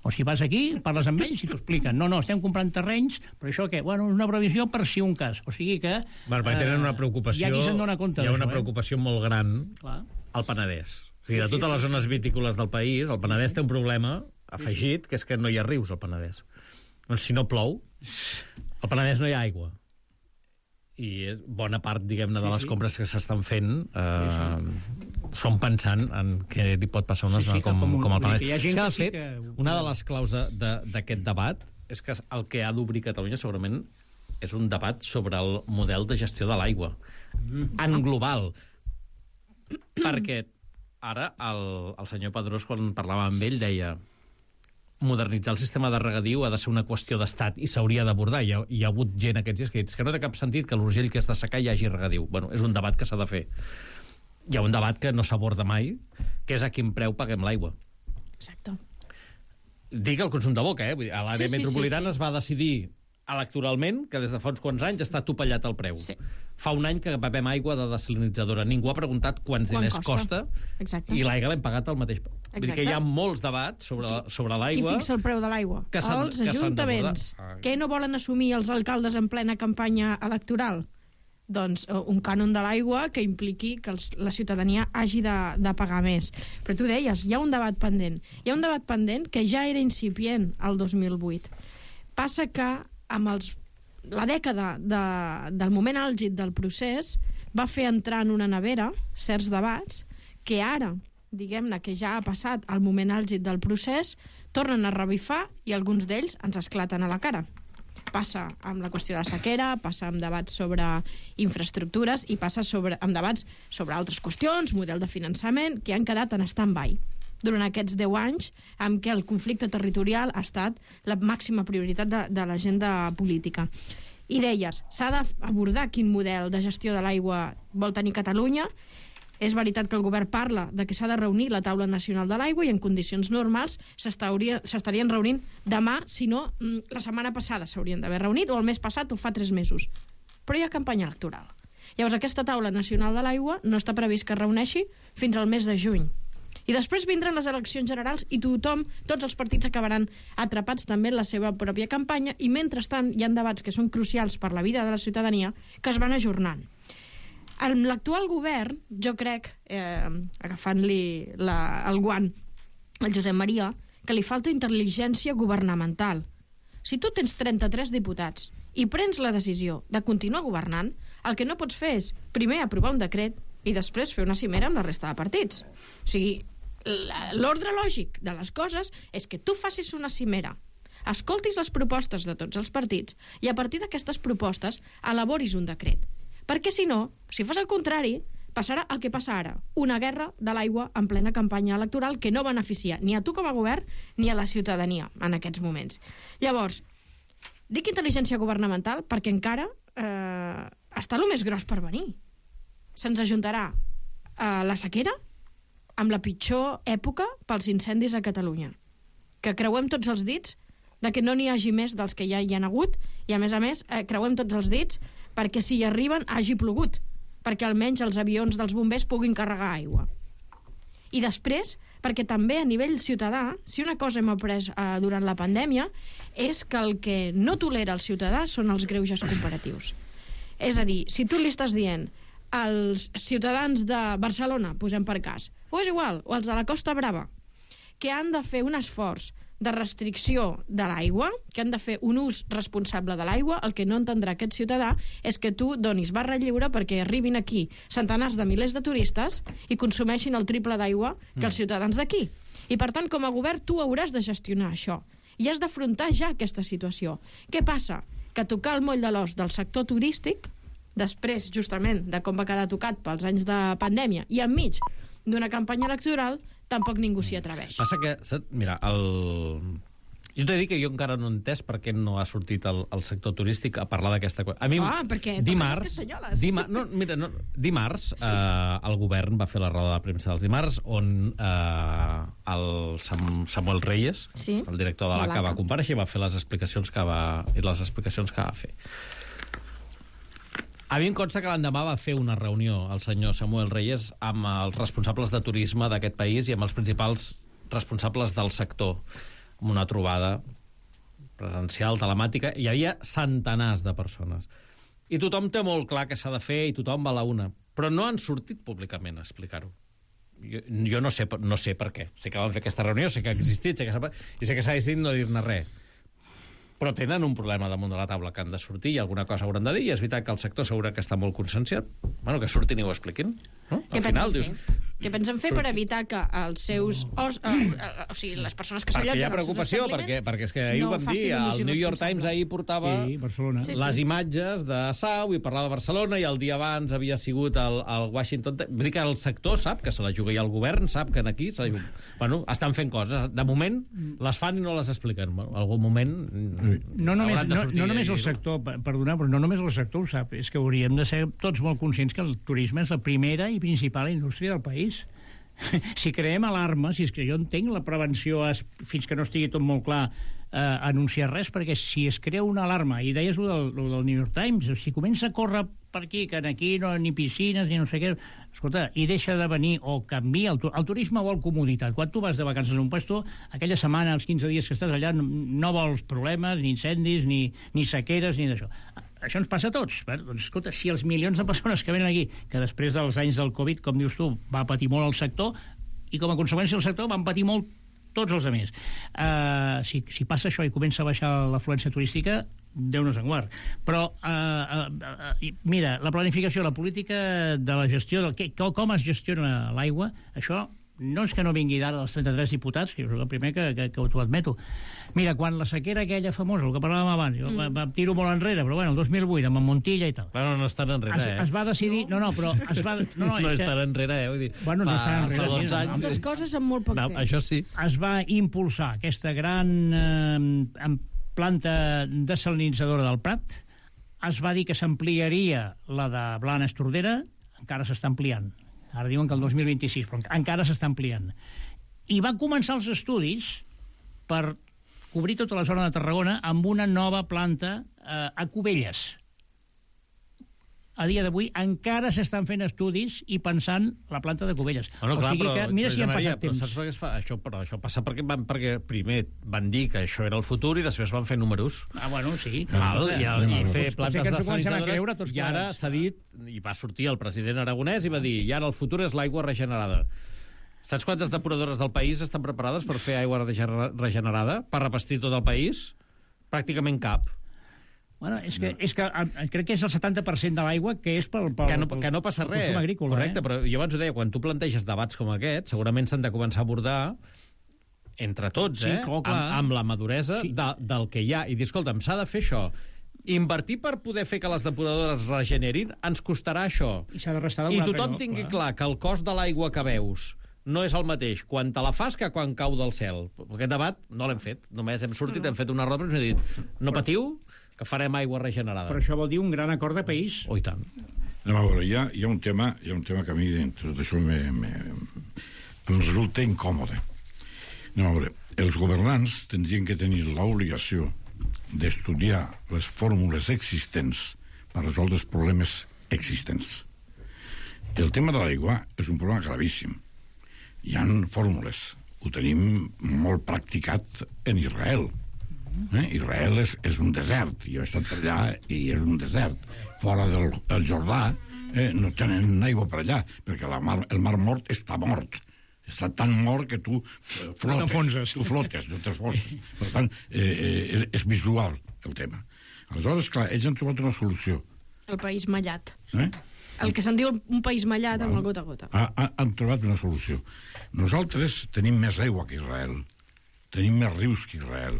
O si vas aquí, parles amb ells i t'ho expliquen. No, no, estem comprant terrenys, però això què? Bueno, és una previsió per si un cas. O sigui que... Bueno, perquè tenen una preocupació... Hi ha qui se'n dona compte Hi ha una d'això, preocupació eh? molt gran Clar. al Penedès. O sigui, de Sí, totes sí, les sí, zones sí. vitícoles del país, el Penedès Sí, sí. té un problema afegit, que és que no hi ha rius al Penedès. Doncs si no plou, al Penedès no hi ha aigua. I és bona part, diguem-ne, de Sí, les sí. compres que s'estan fent eh, Sí, són pensant en què li pot passar a una Sí, zona sí, com, com un- com el vull dir Penedès. que hi ha gent És que, de que sí fet, que- una de les claus de- de- d'aquest debat és que el que ha d'obrir Catalunya segurament és un debat sobre el model de gestió de l'aigua, en global. Perquè ara el, el senyor Pedrós, quan parlava amb ell, deia modernitzar el sistema de regadiu ha de ser una qüestió d'estat i s'hauria d'abordar. Hi, ha, hi ha hagut gent aquests dies que ha dit que no té cap sentit que a l'Urgell que és de secar hi hagi regadiu. Bueno, és un debat que s'ha de fer. Hi ha un debat que no s'aborda mai, que és a quin preu paguem l'aigua. Exacte. Dic el consum de boca, eh? Vull dir, a l'àrea Sí, sí, metropolitana sí, sí. es va decidir electoralment que des de fa uns quants anys està topallat el preu. Sí. Fa un any que bevem aigua de desalinitzadora. Ningú ha preguntat quants Quan diners costa. costa, Exacte. i l'aigua l'hem pagat al mateix preu. Vull dir que hi ha molts debats sobre, sobre Qui l'aigua. fixa el preu de l'aigua? que s'han- Els que s'han ajuntaments. d'abordar. Què no volen assumir els alcaldes en plena campanya electoral? Doncs eh, un cànon de l'aigua que impliqui que els, la ciutadania hagi de, de pagar més. Però tu deies, hi ha un debat pendent. Hi ha un debat pendent que ja era incipient el dos mil vuit. Passa que amb els, la dècada de, del moment àlgid del procés va fer entrar en una nevera certs debats que ara, diguem-ne que ja ha passat el moment àlgid del procés, tornen a revifar i alguns d'ells ens esclaten a la cara. Passa amb la qüestió de la sequera, passa amb debats sobre infraestructures i passa sobre, amb debats sobre altres qüestions, model de finançament, que han quedat en stand-by durant aquests deu anys en què el conflicte territorial ha estat la màxima prioritat de, de l'agenda política. I deies, s'ha d'abordar quin model de gestió de l'aigua vol tenir Catalunya. És veritat que el govern parla de que s'ha de reunir la taula nacional de l'aigua i en condicions normals s'estarien reunint demà, si no, la setmana passada s'haurien d'haver reunit, o el mes passat o fa tres mesos. Però hi ha campanya electoral. Llavors aquesta taula nacional de l'aigua no està previst que es reuneixi fins al mes de juny. I després vindran les eleccions generals i tothom, tots els partits acabaran atrapats també en la seva pròpia campanya i mentrestant hi ha debats que són crucials per la vida de la ciutadania que es van ajornant. Amb l'actual govern, jo crec, eh, agafant-li la, el guant al Josep Maria, que li falta intel·ligència governamental. Si tu tens trenta-tres diputats i prens la decisió de continuar governant, el que no pots fer és, primer, aprovar un decret i després fer una cimera amb la resta de partits. O sigui, l'ordre lògic de les coses és que tu facis una cimera, escoltis les propostes de tots els partits i a partir d'aquestes propostes elaboris un decret. Perquè si no, si fas el contrari, passarà el que passa ara, una guerra de l'aigua en plena campanya electoral que no beneficia ni a tu com a govern ni a la ciutadania en aquests moments. Llavors, dic intel·ligència governamental perquè encara eh, està el més gros per venir. Se'ns ajuntarà eh, la sequera amb la pitjor època pels incendis a Catalunya. Que creuem tots els dits de que no n'hi hagi més dels que ja hi han hagut i, a més a més, eh, creuem tots els dits perquè si hi arriben hagi plogut, perquè almenys els avions dels bombers puguin carregar aigua. I després, perquè també a nivell ciutadà, si una cosa hem après eh, durant la pandèmia, és que el que no tolera el ciutadà són els greuges comparatius. És a dir, si tu li estàs dient als ciutadans de Barcelona, posem per cas, o és igual, o els de la Costa Brava, que han de fer un esforç de restricció de l'aigua, que han de fer un ús responsable de l'aigua, el que no entendrà aquest ciutadà és que tu donis barra lliure perquè arribin aquí centenars de milers de turistes i consumeixin el triple d'aigua que els ciutadans d'aquí. I per tant, com a govern, tu hauràs de gestionar això i has d'afrontar ja aquesta situació. Què passa? Que tocar el moll de l'os del sector turístic, després, justament, de com va quedar tocat pels anys de pandèmia i enmig d'una campanya electoral, tampoc ningú s'hi atreveix. Passa que, mira, el... jo t'he dit que jo encara no he entès per què no ha sortit el, el sector turístic a parlar d'aquesta cosa. A mi, ah, perquè dimarts, totes les castanyoles. Dimar... No, mira, no, dimarts sí. eh, el govern va fer la roda de premsa dels dimarts on eh, el Sam, Samuel Reyes, sí. el director de l'A C A, va comparèixer i va fer les explicacions que va, i les explicacions que va fer. A mi em consta que l'endemà va fer una reunió el senyor Samuel Reyes amb els responsables de turisme d'aquest país i amb els principals responsables del sector, amb una trobada presencial, telemàtica. Hi havia centenars de persones. I tothom té molt clar què s'ha de fer i tothom va a la una. Però no han sortit públicament a explicar-ho. Jo, jo no, sé, no sé per què. Sé que van fer aquesta reunió, sé que ha existit, sé que i sé que s'ha decidit no dir-ne res. Però tenen un problema damunt de la taula que han de sortir i alguna cosa hauran de dir, i és veritat que el sector segura que està molt conscienciat. Bueno, que surtin i ho expliquin. No? Què pensen fer? Dius... Què pensen fer per evitar que els seus... Os, eh, eh, o sigui, les persones que s'allotgen... Perquè hi ha preocupació, perquè, perquè és que ahir no ho vam dir, el New York Times ahir portava sí, Barcelona. Sí, sí. les imatges de Sau i parlava de Barcelona, i el dia abans havia sigut el, el Washington... Vull dir que el sector sap que se la juga i el govern sap que aquí se la... bueno, estan fent coses. De moment les fan i no les expliquen. En algun moment... No només, no, no només el sector, perdona, però no només el sector ho sap, és que hauríem de ser tots molt conscients que el turisme és la primera i principal indústria del país. Si creem alarma, si és que jo entenc la prevenció es, fins que no estigui tot molt clar eh, anunciar res, perquè si es crea una alarma, i deies lo del, lo del New York Times, si comença a córrer per aquí, que aquí no ni piscines ni no sé què, escolta, i deixa de venir o canvia, el, el turisme vol comoditat. Quan tu vas de vacances a un puesto, aquella setmana, els quinze dies que estàs allà, no, no vols problemes, ni incendis, ni, ni sequeres, ni d'això. Això ens passa a tots. Bé, doncs, escolta, si els milions de persones que venen aquí, que després dels anys del Covid, com dius tu, va patir molt el sector, i com a conseqüència el sector van patir molt tots els altres. Uh, si, si passa això i comença a baixar l'afluència turística, Déu nos en guard. Però, uh, uh, uh, mira, la planificació, la política de la gestió, del que, com es gestiona l'aigua, això no és que no vingui d'ara dels trenta-tres diputats, que és el primer que, que, que t'ho admeto. Mira, quan la sequera aquella famosa, el que parlàvem abans, jo mm. em tiro molt enrere, però bueno, el dos mil vuit, amb Montilla i tal. Bueno, no és tan enrere, es, eh? Es va decidir... No, no, però es va... No, no, no és que... tan enrere, eh? Vull dir, bueno, no és tan enrere. Fa dos sí, anys... Moltes coses en molt poc no, temps. Això sí. Es va impulsar aquesta gran eh, planta desalinitzadora del Prat, es va dir que s'ampliaria la de Blanes Tordera, encara s'està ampliant. Ara diuen que el dos mil vint-i-sis, però encara s'està ampliant. I van començar els estudis per cobrir tota la zona de Tarragona amb una nova planta eh, a Cubelles. A dia d'avui encara s'estan fent estudis i pensant la planta de Cubelles. Bueno, o clar, sigui que, mira si han passat però temps. saps per què es fa? Això, però això passa perquè, van, perquè primer van dir que això era el futur i després van fer números. Ah, bueno, sí. Val, i, i, i fer Potser plantes que ens ho comencem a desalinitzadores, creure tots i ara s'ha dit, i va sortir el president aragonès i va dir, i ara el futur és l'aigua regenerada. Saps quantes depuradores del país estan preparades per fer aigua regenerada? Per repestir tot el país? Pràcticament cap. Bueno, és que, és que crec que és el setanta per cent de l'aigua que és pel, pel, que, no, que no passa res, agrícola, correcte, eh? Però jo abans ho deia, quan tu planteges debats com aquest, segurament s'han de començar a abordar entre tots, sí, eh? clar, amb, amb la maduresa sí. de, del que hi ha. I dir, escolta'm, s'ha de fer això. Invertir per poder fer que les depuradores regenerin ens costarà això. I s'ha de restar I tothom allò, tingui clar. clar que el cost de l'aigua que veus no és el mateix quan te la fas que quan cau del cel. Aquest debat no l'hem fet. Només hem sortit, no. hem fet una roda i hem dit, no patiu, que farem aigua regenerada. Però això vol dir un gran acord de país. Oh, i tant. No, a veure, hi ha, hi ha un tema, hi ha un tema que a mi dintre d'això me, me, em resulta incòmode. No, a veure, els governants tindrien que tenir l'obligació d'estudiar les fórmules existents per resoldre els problemes existents. El tema de l'aigua és un problema gravíssim. Hi ha fórmules. Ho tenim molt practicat en Israel. Eh? Israel és, és un desert. Jo he estat per allà i és un desert. Fora del, del Jordà eh, no tenen aigua per allà, perquè la mar, el mar mort està mort. Està tan mort que tu eh, flotes. Tu flotes, no t'enfonses. Per tant, eh, és, és visual el tema. Aleshores, clar, ells han trobat una solució. El país mallat. Eh? El que se'n diu un país mallat amb el gota a gota. Ha, ha, han trobat una solució. Nosaltres tenim més aigua que Israel. Tenim més rius que Israel.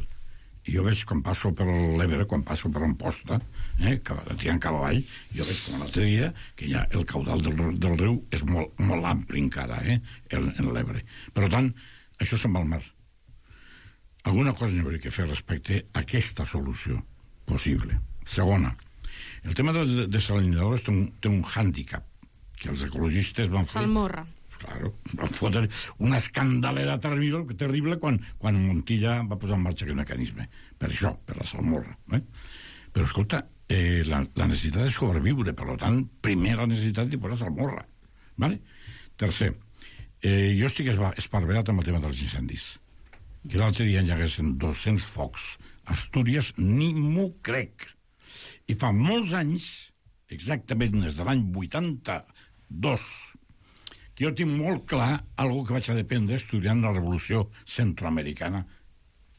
I jo veig quan passo per l'Ebre, quan passo per Amposta, eh, que tirant cap avall, jo veig com l'altre dia que ja el caudal del, del riu és molt, molt ampli encara, eh, en, en l'Ebre. Per tant, això se'n va al mar. Alguna cosa n'hi hauria que fer respecte a aquesta solució possible. Segona, el tema de, de salinadores té un, té un hàndicap que els ecologistes van fer... Salmorra. Claro, van fotre una escandalera terrible, terrible quan, quan Montilla va posar en marxa aquest mecanisme. Per això, per la salmorra. Eh? Però, escolta, eh, la, la necessitat de sobreviure, per tant, primer la necessitat de posar salmorra. Vale? Tercer, eh, jo estic esparverat amb el tema dels incendis. Que l'altre dia hi haguessin dos-cents focs a Astúries, ni m'ho crec. I fa molts anys, exactament des de l'any vuitanta-dos, que jo tinc molt clar algo que vaig aprendre estudiant la revolució centroamericana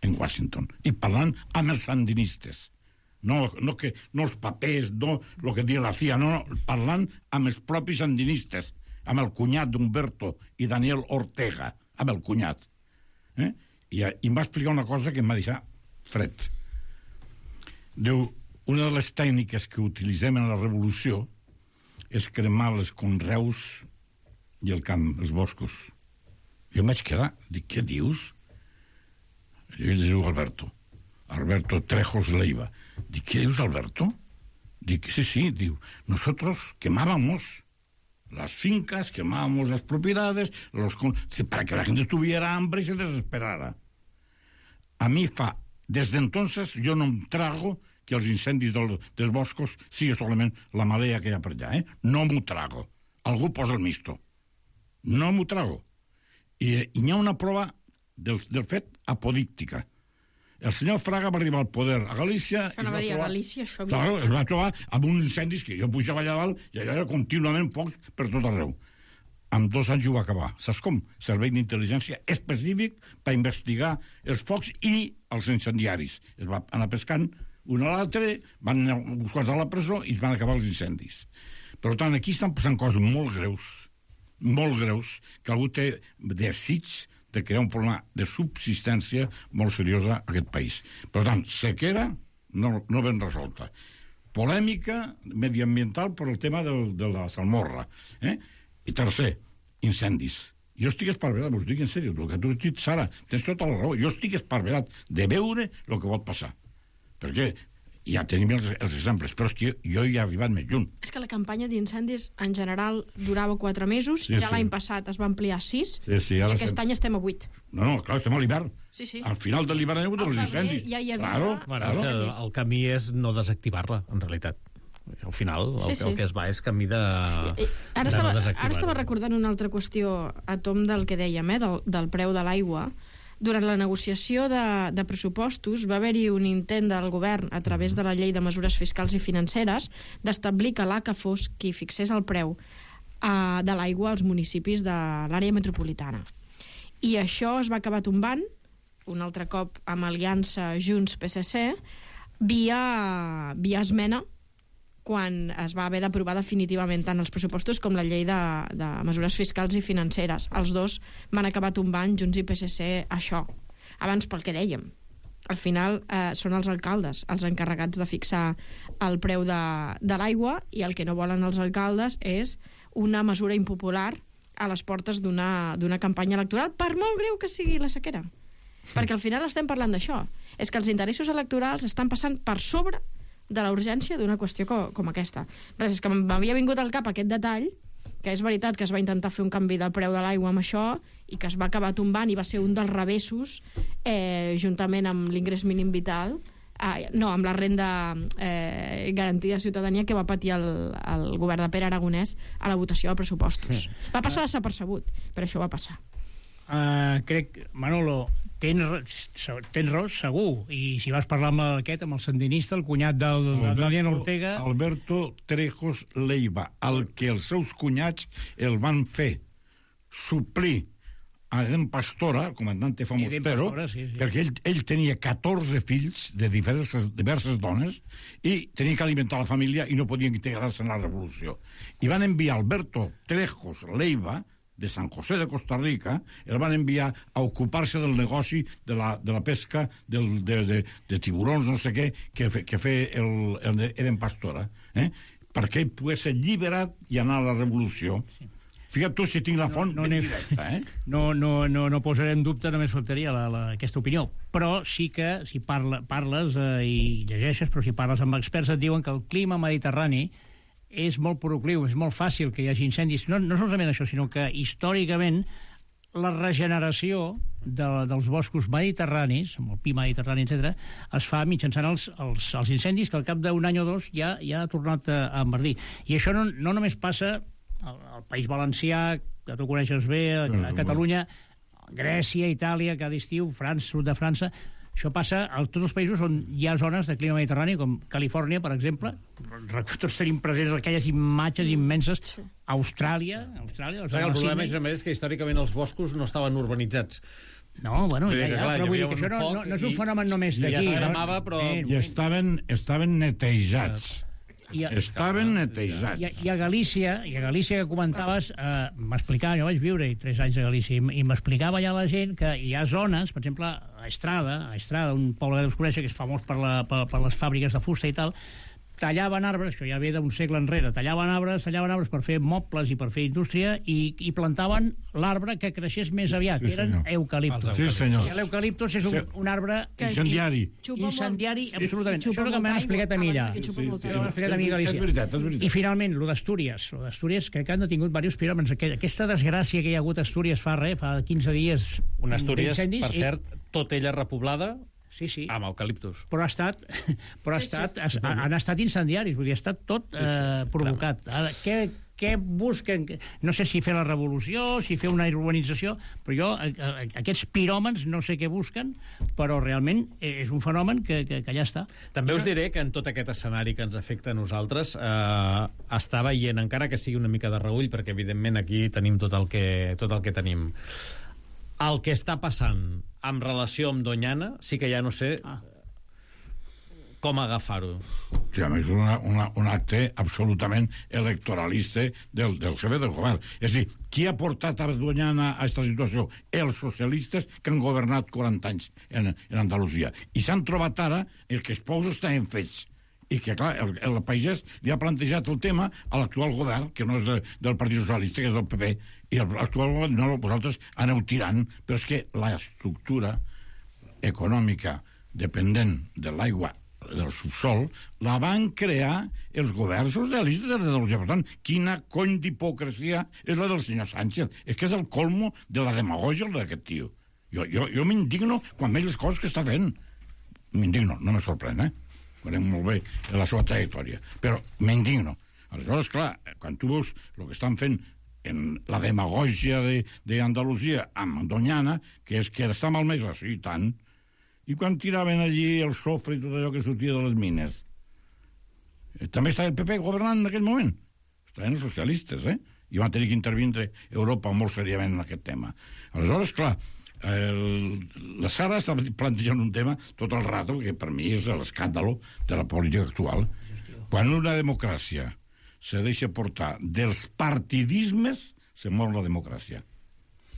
en Washington i parlant amb els sandinistes. No, no, que, no els papers, no el que diu la C I A, no, no, parlant amb els propis sandinistes, amb el cunyat d'Humberto i Daniel Ortega, amb el cunyat. Eh? I, i em va explicar una cosa que em va deixar fred. Diu, una de les tècniques que utilitzem en la revolució és cremar els conreus i el camp, els boscos. Jo em vaig quedar, dic, què dius? I ell es diu Alberto. Alberto Trejos Leiva. Dic, ¿qué dius, Alberto? Dic, sí, sí, diu, nosotros quemábamos las fincas, quemábamos las propiedades, los con... para que la gente tuviera hambre y se desesperara. A mi fa, desde entonces, jo no em trago que els incendis del, dels boscos sigui solament la marea que hi ha per allà, eh? No m'ho trago. Algú posa el misto. No m'ho trago. I, i hi ha una prova del, del fet apodíctica. El senyor Fraga va arribar al poder a Galícia... Això no va dir a Galícia, això... Claro, es va trobar amb uns incendis que jo pujava allà dalt i allà era contínuament focs per tot arreu. En dos anys ho va acabar. Saps com? Servei d'intel·ligència específic per investigar els focs i els incendiaris. Es va anar pescant un a l'altre, van anar uns quants a la presó i es van acabar els incendis. Per tant, aquí estan passant coses molt greus, molt greus, que algú té desig de crear un problema de subsistència molt seriosa a aquest país. Per tant, sequera no, no ben resolta. Polèmica mediambiental per el tema de, de la salmorra. Eh? I tercer, incendis. Jo estic esparverat, us dic en sèrio, el que tu has dit, Sara, tens tota la raó. Jo estic esparverat de veure el que pot passar. Perquè ja tenim els, els exemples, però és que jo, jo hi he arribat més lluny. És que la campanya d'incendis, en general, durava quatre mesos, sí, ja sí. L'any passat es va ampliar a sis, sí, sí, i aquest estem... any estem a vuit. No, no, clar, estem a l'hivern. Sí, sí. Al final de l'hivern hi ha hagut els incendis. Ja hi havia... Claro, bueno, claro. El camí és no desactivar-la, en realitat. Al final, el, sí, sí. el que es va és camí de, I, ara de estava, no desactivar-la. Ara estava recordant una altra qüestió a tom del que dèiem, eh, del, del preu de l'aigua. Durant la negociació de, de pressupostos va haver-hi un intent del govern, a través de la llei de mesures fiscals i financeres, d'establir que l'A C A fos qui fixés el preu eh, de l'aigua als municipis de l'àrea metropolitana. I això es va acabar tombant, un altre cop amb aliança Junts-P S C, via, via esmena, quan es va haver d'aprovar definitivament tant els pressupostos com la llei de, de mesures fiscals i financeres. Els dos van acabar tombant, Junts i P S C, això. Abans, pel que dèiem, al final eh, són els alcaldes els encarregats de fixar el preu de, de l'aigua, i el que no volen els alcaldes és una mesura impopular a les portes d'una d'una campanya electoral, per molt greu que sigui la sequera. Perquè al final estem parlant d'això. És que els interessos electorals estan passant per sobre de la urgència d'una qüestió com, com aquesta. Res, és que m'havia vingut al cap aquest detall, que és veritat que es va intentar fer un canvi del preu de l'aigua amb això i que es va acabar tombant i va ser un dels revessos, eh, juntament amb l'ingrés mínim vital, eh, no, amb la renda eh, garantida de ciutadania que va patir el, el govern de Pere Aragonès a la votació de pressupostos. Va passar desapercebut, però això va passar. Uh, crec, Manolo, tens, tens raó, segur. I si vas parlar amb aquest, amb el sandinista, el cunyat del, del Daniel Ortega... Alberto Trejos Leiva, el que els seus cunyats el van fer suplir a Eden Pastora, el comandante Famostero, sí, sí. perquè ell, ell tenia catorze fills de diverses, diverses dones i tenia que alimentar la família i no podia integrar-se en la revolució. I van enviar Alberto Trejos Leiva, de San José de Costa Rica, el van enviar a ocupar-se del negoci de la, de la pesca del, de, de, de tiburons, no sé què, que, fe, que fe el, el Eden Pastora, eh? perquè ell pogués ser alliberat i anar a la revolució. Sí. Fíjate tu si tinc la font no, no, ben directa, eh? No, no, no, no posaré en dubte, només faltaria la, la, aquesta opinió. Però sí que, si parla, parles eh, i llegeixes, però si parles amb experts, et diuen que el clima mediterrani és molt procliu, és molt fàcil que hi hagi incendis. No, no solament això, sinó que històricament la regeneració de, dels boscos mediterranis, amb el pi mediterrani, etcètera, es fa mitjançant els, els, els incendis que al cap d'un any o dos ja, ja ha tornat a, a enverdir. I això no, no només passa al, al País Valencià, que tu coneixes bé, a, a Catalunya, Grècia, Itàlia, cada estiu, França, sud de França. Això passa a tots els països on hi ha zones de clima mediterrani, com Califòrnia, per exemple. Tots tenim presents aquelles imatges immenses. Austràlia... Austràlia el problema, és, a més, que històricament els boscos no estaven urbanitzats. No, bueno, ja, ja, però vull dir que això no, no, no és un fenomen només d'aquí. Ja s'agramava, però... I estaven, estaven netejats. I a, estaven netejats. I, I a Galícia, i a Galícia que comentaves, eh, m'explicava, jo vaig viure tres anys a Galícia, i, i m'explicava ja la gent que hi ha zones, per exemple, a Estrada, a Estrada, un poble que deus conèixer, que és famós per, la, per, per les fàbriques de fusta i tal, tallaven arbres, això ja ve d'un segle enrere, tallaven arbres, tallaven arbres per fer mobles i per fer indústria, i, i plantaven l'arbre que creixés més aviat, sí, que eren eucaliptos. Sí, senyor. L'eucaliptos és un, un arbre... Incendiari. Incendiari, absolutament. Això és el que m'han explicat a mi allà. M'han explicat a mi a Galícia. És veritat, és veritat. I finalment, lo d'Astúries. Lo d'Astúries, crec que han detingut diversos piròmens. Aquesta desgràcia que hi ha hagut a Astúries fa res, fa quinze dies... Una Astúries, per cert, tot ella repoblada... Sí, sí. Amb eucaliptus. Però ha estat, però ha estat, sí, sí. Han estat incendiaris, vull dir, ha estat tot eh, sí, sí, provocat. Ara, què, què busquen? No sé si fer la revolució, si fer una urbanització, però jo, aquests piròmens, no sé què busquen, però realment és un fenomen que, que, que ja està. També us diré que en tot aquest escenari que ens afecta a nosaltres, eh, està veient, encara que sigui una mica de reüll, perquè evidentment aquí tenim tot el que, tot el que tenim. El que està passant en relació amb Doñana, sí que ja no sé ah. com agafar-ho. Sí, a més, és una, una, un acte absolutament electoralista del, del jefe del govern. És a dir, qui ha portat a Doñana a aquesta situació? Els socialistes que han governat quaranta anys en, en Andalusia. I s'han trobat ara el que els pous estaven fets. I que, clar, el, el pagès li ha plantejat el tema a l'actual govern, que no és de, del Partit Socialista, que és del P P, i l'actual govern, no, vosaltres aneu tirant, però és que l'estructura econòmica dependent de l'aigua del subsol la van crear els governs socialistes de l'Andalusia. Per tant, quina cony d'hipocresia és la del senyor Sánchez. És que és el colmo de la demagògia d'aquest tio. Jo, jo, jo m'indigno quan veig les coses que està fent. M'indigno, no me sorprèn, eh? Veurem molt bé la seva trajectòria, però m'indigno. Aleshores, clar, quan tu veus el que estan fent en la demagògia d'Andalusia amb Doñana, que és que està malmesa, sí, tant, i quan tiraven allí el sofre i tot allò que sortia de les mines, també estava el P P governant en aquell moment, estaven els socialistes, eh? I van tenir que intervindre Europa molt seriament en aquest tema. Aleshores, clar, El, la Sara està plantejant un tema tot el rato, que per mi és l'escàndalo de la política actual. Quan una democràcia se deixa portar dels partidismes, se mor la democràcia.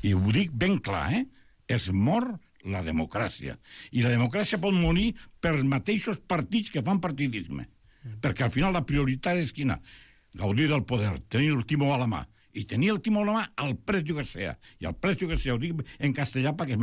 I ho dic ben clar, eh? Es mor la democràcia. I la democràcia pot morir pels mateixos partits que fan partidisme. Perquè al final la prioritat és quina? Gaudir del poder, tenir el timó a la mà. I tenir el timó a la mà al precio que sea. I al precio que sea, ho dic en castellà perquè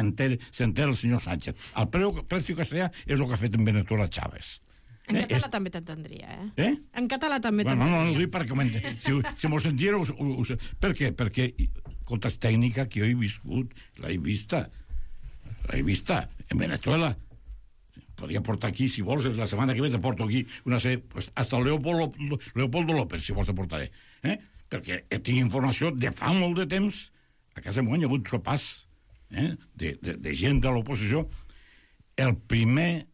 s'entera el senyor Sánchez. Al precio que sea és el que ha fet en Venezuela Chávez. En eh? català és... també t'entendria, eh? Eh? En català també bueno, t'entendria. No, no, no, dic perquè... Si, si m'ho sentiera... Us, us, per què? Perquè, escolta, és tècnica que jo he viscut, l'he vista. L'he vista en Venezuela. Podria portar aquí, si vols, la setmana que ve te porto aquí una sèrie... Pues, hasta Leopoldo, Leopoldo López, si vols, te portaré. Eh? Perquè tinc informació de fa molt de temps. A casa meva hi ha hagut sopars eh, de, de, de gent de l'oposició, el primer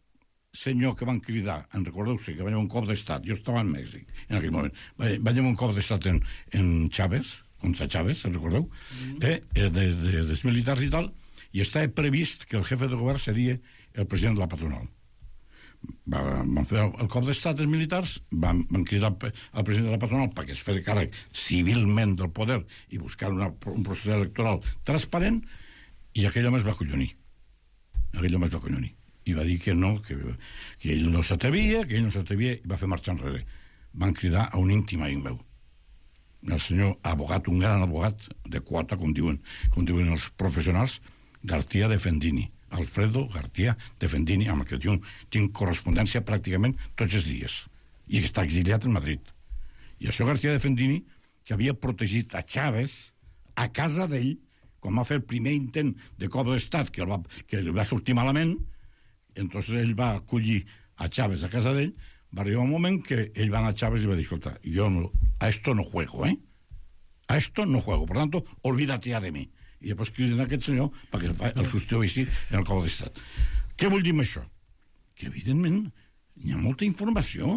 senyor que van cridar, en recordeu-se, que va haver un cop d'estat, jo estava en Mèxic en aquell moment, va, va haver un cop d'estat en, en Chávez, contra Chávez, en recordeu? Mm. Eh, de, de, dels militars i tal, i estava previst que el jefe de govern seria el president de la patronal. Va, van fer el cop d'estat els militars, van, van cridar al president de la patronal perquè es fes càrrec civilment del poder i buscar una, un procés electoral transparent, i aquell home es va acollonir. Aquell home es va acollonir. I va dir que no, que, que ell no s'atrevia, que ell no s'atrevia, i va fer marxar enrere. Van cridar a un íntim amic meu, el senyor abogat, un gran abogat de quota, com diuen, com diuen els professionals, García de Fendini. Alfredo García de Fendini, amb el que tinc, tinc correspondència pràcticament tots els dies, i està exiliat en Madrid. I això García de Fendini, que havia protegit a Chávez a casa d'ell, quan va fer el primer intent de cop d'estat, que, el va, que el va sortir malament, entonces ell va acollir a Chávez a casa d'ell, va arribar un moment que ell va anar a Chávez i va dir, escolta, jo no, a esto no juego, eh? A esto no juego, por tanto, olvídate ya de mí. I després criden aquest senyor perquè el substitueixi així en el cop d'estat. Què vull dir amb això? Que, evidentment, hi ha molta informació.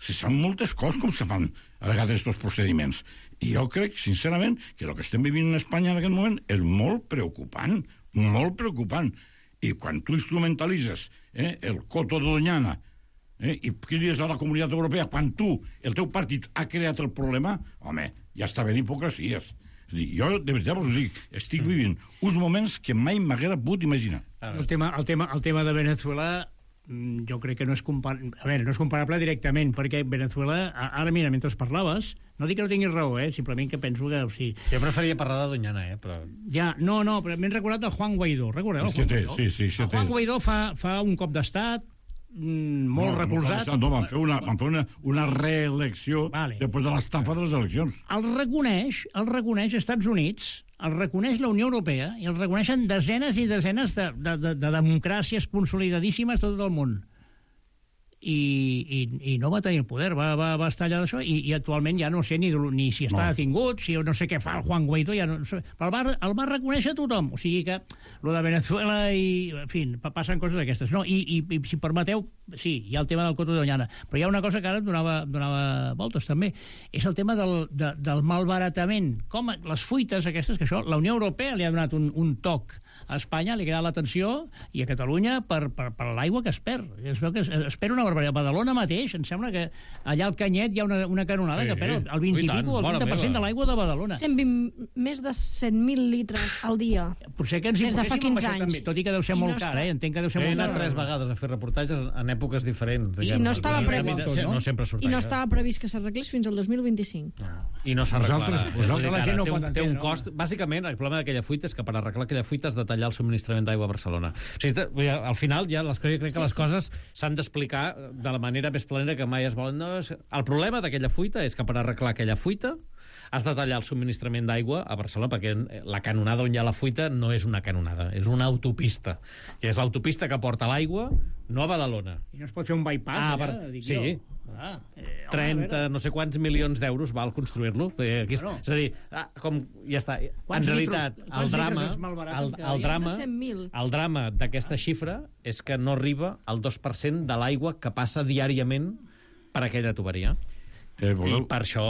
Se saben moltes coses com se fan a vegades aquests procediments. I jo crec, sincerament, que el que estem vivint en Espanya en aquest moment és molt preocupant, molt preocupant. I quan tu instrumentalitzes eh, el coto de Doñana eh, i crides a la Comunitat Europea, quan tu, el teu partit, ha creat el problema, home, ja està bé d'hipocresies. Jo, de veritat, us dic, estic vivint uns moments que mai m'haguera pogut imaginar. El tema, el tema, el tema de Venezuela, jo crec que no és comparable, a veure, no és comparable directament, perquè Venezuela, ara mira, mentre parlaves, no dic que no tinguis raó, eh? Simplement que penso que... O sigui... Jo preferia parlar de Doñana, eh? Però... Ja, no, no, però m'he recordat del Juan Guaidó, recordeu? És que té, sí, sí, sí, el Juan Guaidó fa, fa un cop d'estat, molt no, recolzat. No, no, van fer una, van fer una, una reelecció vale. Després de l'estafa de les eleccions. El reconeix, el reconeix Estats Units, el reconeix la Unió Europea i el reconeixen desenes i desenes de, de, de, de democràcies consolidadíssimes tot el món. I, i, i no va tenir el poder, va, va, va estar allà d'això, i, i actualment ja no sé ni, ni si està no. detingut, si no sé què fa el Juan Guaidó, ja no sé, però el va, el va reconèixer tothom, o sigui que lo de Venezuela i, en fi, passen coses d'aquestes. No, i, i, i si permeteu, sí, hi ha el tema del coto de Doñana, però hi ha una cosa que ara em donava, donava voltes també, és el tema del, de, del malbaratament, com les fuites aquestes, que això, la Unió Europea li ha donat un, un toc a Espanya, li ha quedat l'atenció, i a Catalunya per, per, per l'aigua que es perd. Es veu que es, es perd una a Badalona mateix, em sembla que allà al Canyet hi ha una, una canonada sí, que perd el vint i pico, el vint per cent de l'aigua de Badalona. cent vint, més de cent mil litres al dia. Potser que ens hi poséssim amb això també, tot i que deu ser I molt no car, eh? Entenc que deu ser molt car. He anat tres vegades a fer reportatges en èpoques diferents. I no estava previst, no? No sempre I no estava previst que s'arreglés fins al dos mil vint-i-cinc. No. I no s'arreglarà. La gent no té, pot un, té un cost. Bàsicament, el problema d'aquella fuita és que per arreglar aquella fuita has de tallar el subministrament d'aigua a Barcelona. O sigui, al final, ja les, jo crec que sí, les sí. coses s'han d'explicar de la manera més planera que mai es volen. No, el problema d'aquella fuita és que per arreglar aquella fuita has de tallar el subministrament d'aigua a Barcelona, perquè la canonada on hi ha la fuita no és una canonada, és una autopista. I és l'autopista que porta l'aigua, no a Badalona. I no es pot fer un bypass, ah, allà, per... dic sí. jo. Ah, eh, trenta, no sé quants milions d'euros val construir-lo. Eh, aquí, bueno. És a dir, ah, com ja està. En realitat, litros, el drama, el, el drama, el drama d'aquesta xifra és que no arriba al dos per cent de l'aigua que passa diàriament per aquella tuberia. Eh, voleu... I per això...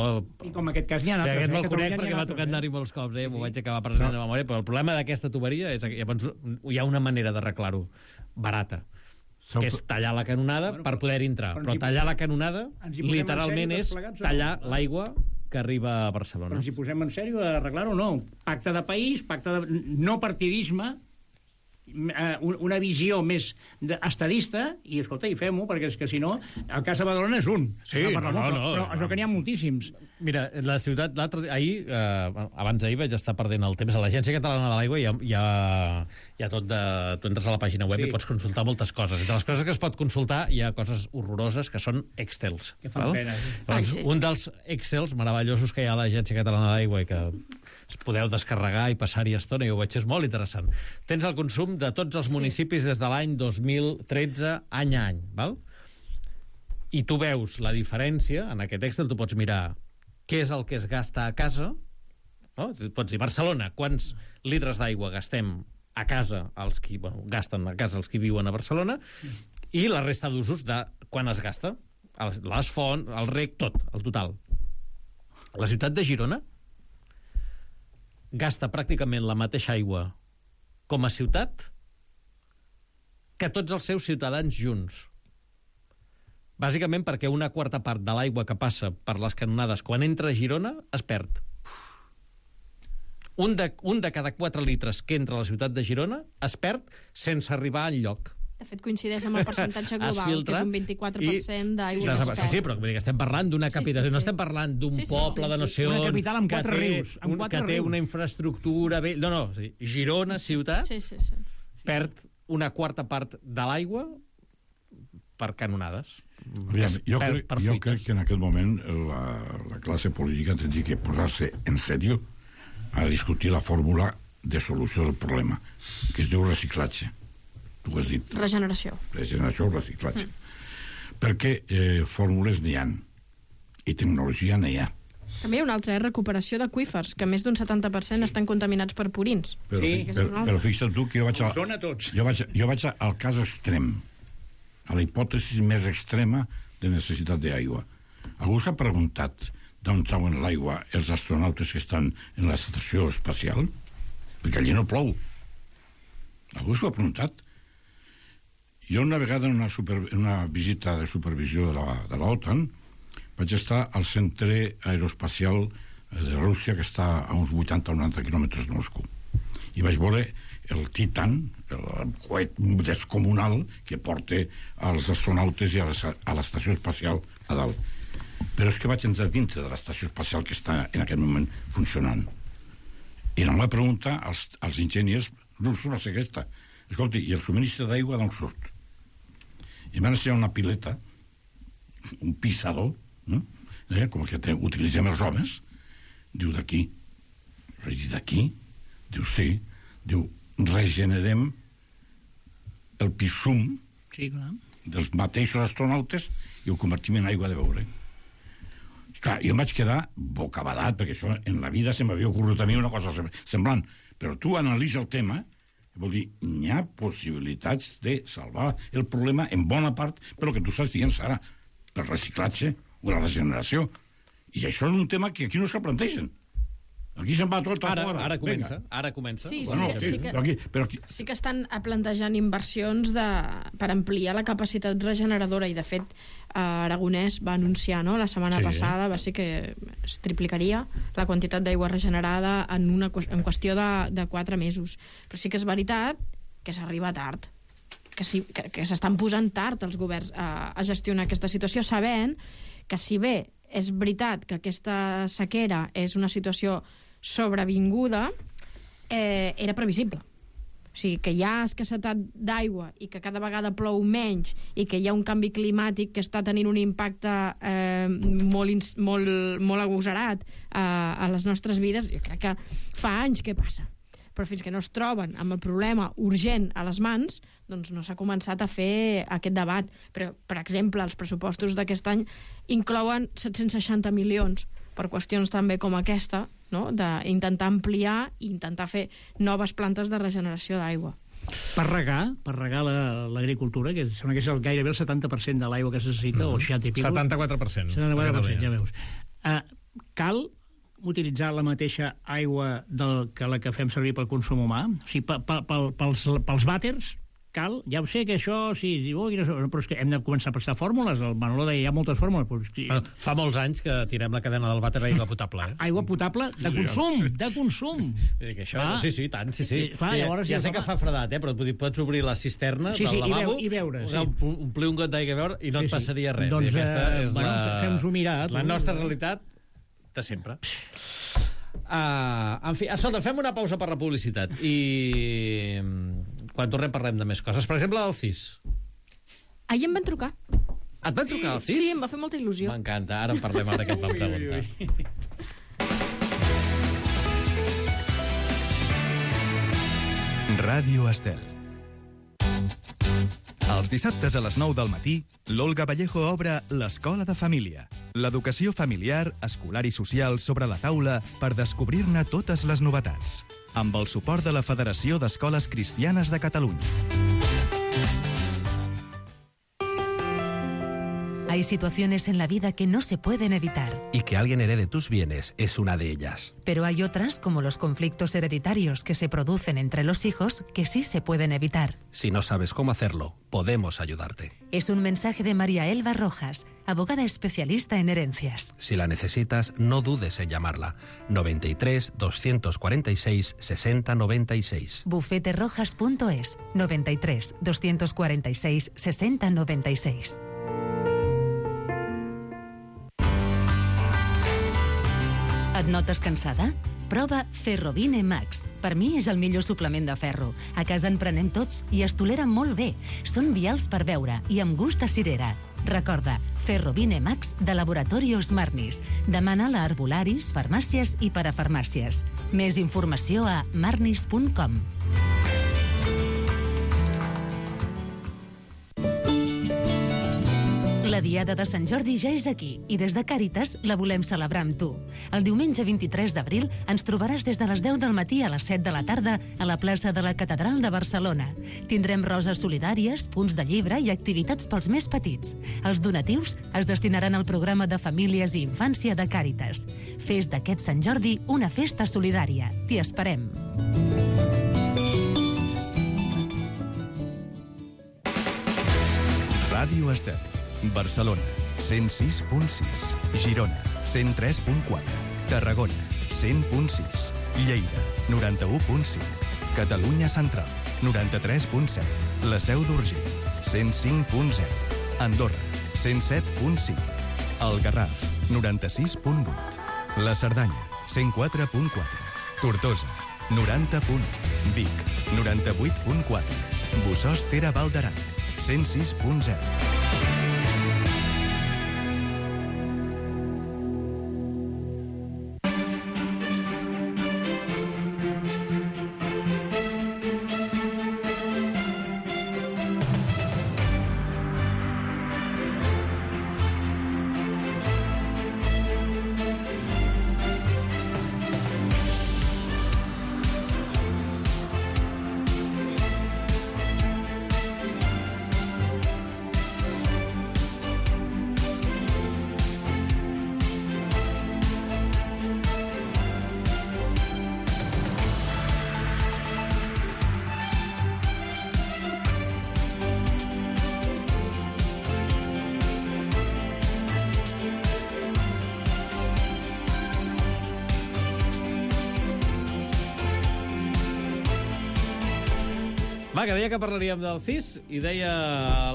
I com en aquest cas n'hi ha altres. Aquest me'l eh, conec perquè m'ha tocat anar-hi molts cops, eh? M'ho vaig acabar present de memòria, però el problema d'aquesta tuberia és que hi ha una manera d'arreglar-ho barata, que és tallar la canonada bueno, per poder entrar. Però, però tallar la canonada literalment és tallar l'aigua que arriba a Barcelona. Però ens hi posem en sèrio a arreglar-ho o no? Pacte de país, pacte de... no partidisme, una visió més estadista, i escolta, i fem-ho, perquè és que si no, el cas de Badalona és un. Sí, no, no, no, però, però això que n'hi ha moltíssims. Mira, la ciutat, l'altre ahir, eh, abans d'ahir vaig estar perdent el temps a l'Agència Catalana de l'Aigua, hi ha, hi ha, hi ha tot de... Tu entres a la pàgina web sí. i pots consultar moltes coses. Entre les coses que es pot consultar hi ha coses horroroses que són Excels. Que fan val? Pena. Sí. Doncs, sí. Un dels Excels meravellosos que hi ha a l'Agència Catalana de l'Aigua i que es podeu descarregar i passar-hi estona, i ho veig, és molt interessant. Tens el consum de tots els municipis sí. des de l'any dos mil tretze, any a any, val? I tu veus la diferència, en aquest Excel tu pots mirar què és el que es gasta a casa, no? Pots dir, Barcelona, quants litres d'aigua gastem a casa els qui, bueno, gasten a casa els qui viuen a Barcelona, i la resta d'usos de quan es gasta. Les fonts, el rec, tot, el total. La ciutat de Girona gasta pràcticament la mateixa aigua com a ciutat que tots els seus ciutadans junts. Bàsicament perquè una quarta part de l'aigua que passa per les canonades quan entra a Girona es perd. Un de, un de cada quatre litres que entra a la ciutat de Girona es perd sense arribar enlloc. De fet, coincideix amb el percentatge global, filtra, que és un vint-i-quatre per cent d'aigua que es perd. Sí, sí, però estem parlant d'una capital, sí, sí, sí. no estem parlant d'un sí, sí, poble sí. de no sé on, una capital amb quatre que, té, rius, amb un, quatre que té rius. una infraestructura... Bé, no, no, sí. Girona, ciutat, sí, sí, sí. perd una quarta part de l'aigua per canonades. Aviam, jo, crec, jo crec que en aquest moment la, la classe política tindria que posar-se en sèrio a discutir la fórmula de solució del problema, que es diu reciclatge. Tu ho has dit. Regeneració. Regeneració o reciclatge. Mm. Perquè eh, fórmules n'hi ha i tecnologia n'hi ha. També hi ha una altra, eh? Recuperació d'aqüífers, que més d'un setanta per cent estan contaminats per purins. Però, sí. però, però fixa't tu que jo vaig, a, jo vaig, jo vaig al cas extrem, a la hipòtesi més extrema de necessitat d'aigua. Algú s'ha preguntat d'on trauen l'aigua els astronautes que estan en l'estació espacial? Perquè allí no plou. Algú s'ho ha preguntat? Jo una vegada en una, super, en una visita de supervisió de la, de l'OTAN vaig estar al centre aeroespacial de Rússia, que està a uns vuitanta o noranta quilòmetres de Moscou. I vaig veure el Titan, el coet descomunal que porta els astronautes i a l'estació espacial a dalt. Però és que vaig entrar dintre de l'estació espacial que està en aquest moment funcionant. I la meva pregunta als, als enginyers russos va ser aquesta. Escolti, i el subministre d'aigua d'on surt? I van ensenyar una pileta, un pisador, no? eh, com el que utilitzem els homes. Diu, d'aquí. Vaig dir, d'aquí? Diu, sí. Diu, regenerem el pisum sí, clar. dels mateixos astronautes i ho convertim en aigua de beure. Clar, jo em vaig quedar bocabadat, perquè això en la vida se m'havia ocorregut a mi una cosa semblant. Però tu analitza el tema, vol dir, hi ha possibilitats de salvar el problema en bona part per el que tu estàs dient, Sara, per reciclatge o la regeneració. I això és un tema que aquí no se plantegen. Aquí se'n va tot a ara, fora. Ara comença, Venga. ara comença. Sí, bueno, sí, que, sí, sí, que, però aquí, però aquí... sí que estan plantejant inversions de, per ampliar la capacitat regeneradora i, de fet, eh, Aragonès va anunciar, no?, la setmana sí. passada, va ser que es triplicaria la quantitat d'aigua regenerada en, una, en qüestió de, de quatre mesos. Però sí que és veritat que s'arriba tard, que, sí, que, que s'estan posant tard els governs a, a gestionar aquesta situació, sabent que, si bé és veritat que aquesta sequera és una situació sobrevinguda, eh, era previsible. O sigui, que hi ha escassetat d'aigua i que cada vegada plou menys i que hi ha un canvi climàtic que està tenint un impacte eh, molt, molt, molt agosarat eh, a les nostres vides, jo crec que fa anys que passa. Però fins que no es troben amb el problema urgent a les mans, doncs no s'ha començat a fer aquest debat. Però, per exemple, els pressupostos d'aquest any inclouen set-cents seixanta milions per qüestions també com aquesta, no?, d'intentar ampliar i intentar fer noves plantes de regeneració d'aigua. Per regar, per regar l'agricultura, la, que sembla que és el, gairebé el setanta per cent de l'aigua que es necessita, mm. o seixanta i pico. setanta-quatre per cent. setanta-quatre per cent, ja veus. Uh, cal utilitzar la mateixa aigua del, que la que fem servir pel consum humà? O sigui, pa, pa, pa, pels, pels vàters, cal? Ja ho sé que això, sí, oh, però és que hem de començar a prestar fórmules. El Manolo deia, hi ha moltes fórmules. Però... Bueno, fa molts anys que tirem la cadena del vàter a aigua potable. Eh? Aigua potable de consum, de consum. Que això, ah, sí, sí, tant, sí, sí. sí clar, llavors, ja, ja sé que fa fredat, eh, però pots obrir la cisterna sí, sí, del lavabo, i veure, sí. omplir un got d'aigua a veure i no sí, et passaria res. Doncs, aquesta és bueno, la, fem-nos-ho mirar. la nostra realitat de sempre. Uh, en fi, escolta, fem una pausa per la publicitat i quan tornem parlem de més coses. Per exemple, del C I S. Ahir em van trucar. Et van trucar al C I S? Sí, em va fer molta il·lusió. M'encanta, ara en parlem, ara que et van preguntar. Ràdio Estel. Els dissabtes a les nou del matí, l'Olga Vallejo obre l'Escola de Família. L'educació familiar, escolar i social sobre la taula per descobrir-ne totes les novetats. Amb el suport de la Federació d'Escoles Cristianes de Catalunya. Hay situaciones en la vida que no se pueden evitar. Y que alguien herede tus bienes es una de ellas. Pero hay otras, como los conflictos hereditarios que se producen entre los hijos, que sí se pueden evitar. Si no sabes cómo hacerlo, podemos ayudarte. Es un mensaje de María Elba Rojas, abogada especialista en herencias. Si la necesitas, no dudes en llamarla. noventa y tres, doscientos cuarenta y seis, sesenta noventa y seis. bufete rojas punto es, noventa y tres, doscientos cuarenta y seis, sesenta noventa y seis. Et notes cansada? Prova Ferrovine Max. Per mi és el millor suplement de ferro. A casa en prenem tots i es toleren molt bé. Són vials per beure i amb gust a cirera. Recorda, Ferrovine Max de Laboratorios Marnis. Demana-la a herbolaris, farmàcies i parafarmàcies. Més informació a marnis punt com. La Diada de Sant Jordi ja és aquí i des de Càritas la volem celebrar amb tu. El diumenge vint-i-tres d'abril ens trobaràs des de les deu del matí a les set de la tarda a la plaça de la Catedral de Barcelona. Tindrem roses solidàries, punts de llibre i activitats pels més petits. Els donatius es destinaran al programa de famílies i infància de Càritas. Fes d'aquest Sant Jordi una festa solidària. T'hi esperem. Ràdio Estel. Barcelona, cent sis punt sis. Girona, cent tres punt quatre. Tarragona, cent punt sis. Lleida, noranta-u punt cinc. Catalunya Central, noranta-tres punt set. La Seu d'Urgell, cent cinc punt zero. Andorra, cent set punt cinc. El Garraf, noranta-sis punt vuit. La Cerdanya, cent quatre punt quatre. Tortosa, noranta punt u. Vic, noranta-vuit punt quatre. Bossòst Tere Val d'Aran, cent sis punt zero. Va, que deia que parlaríem del C I S i deia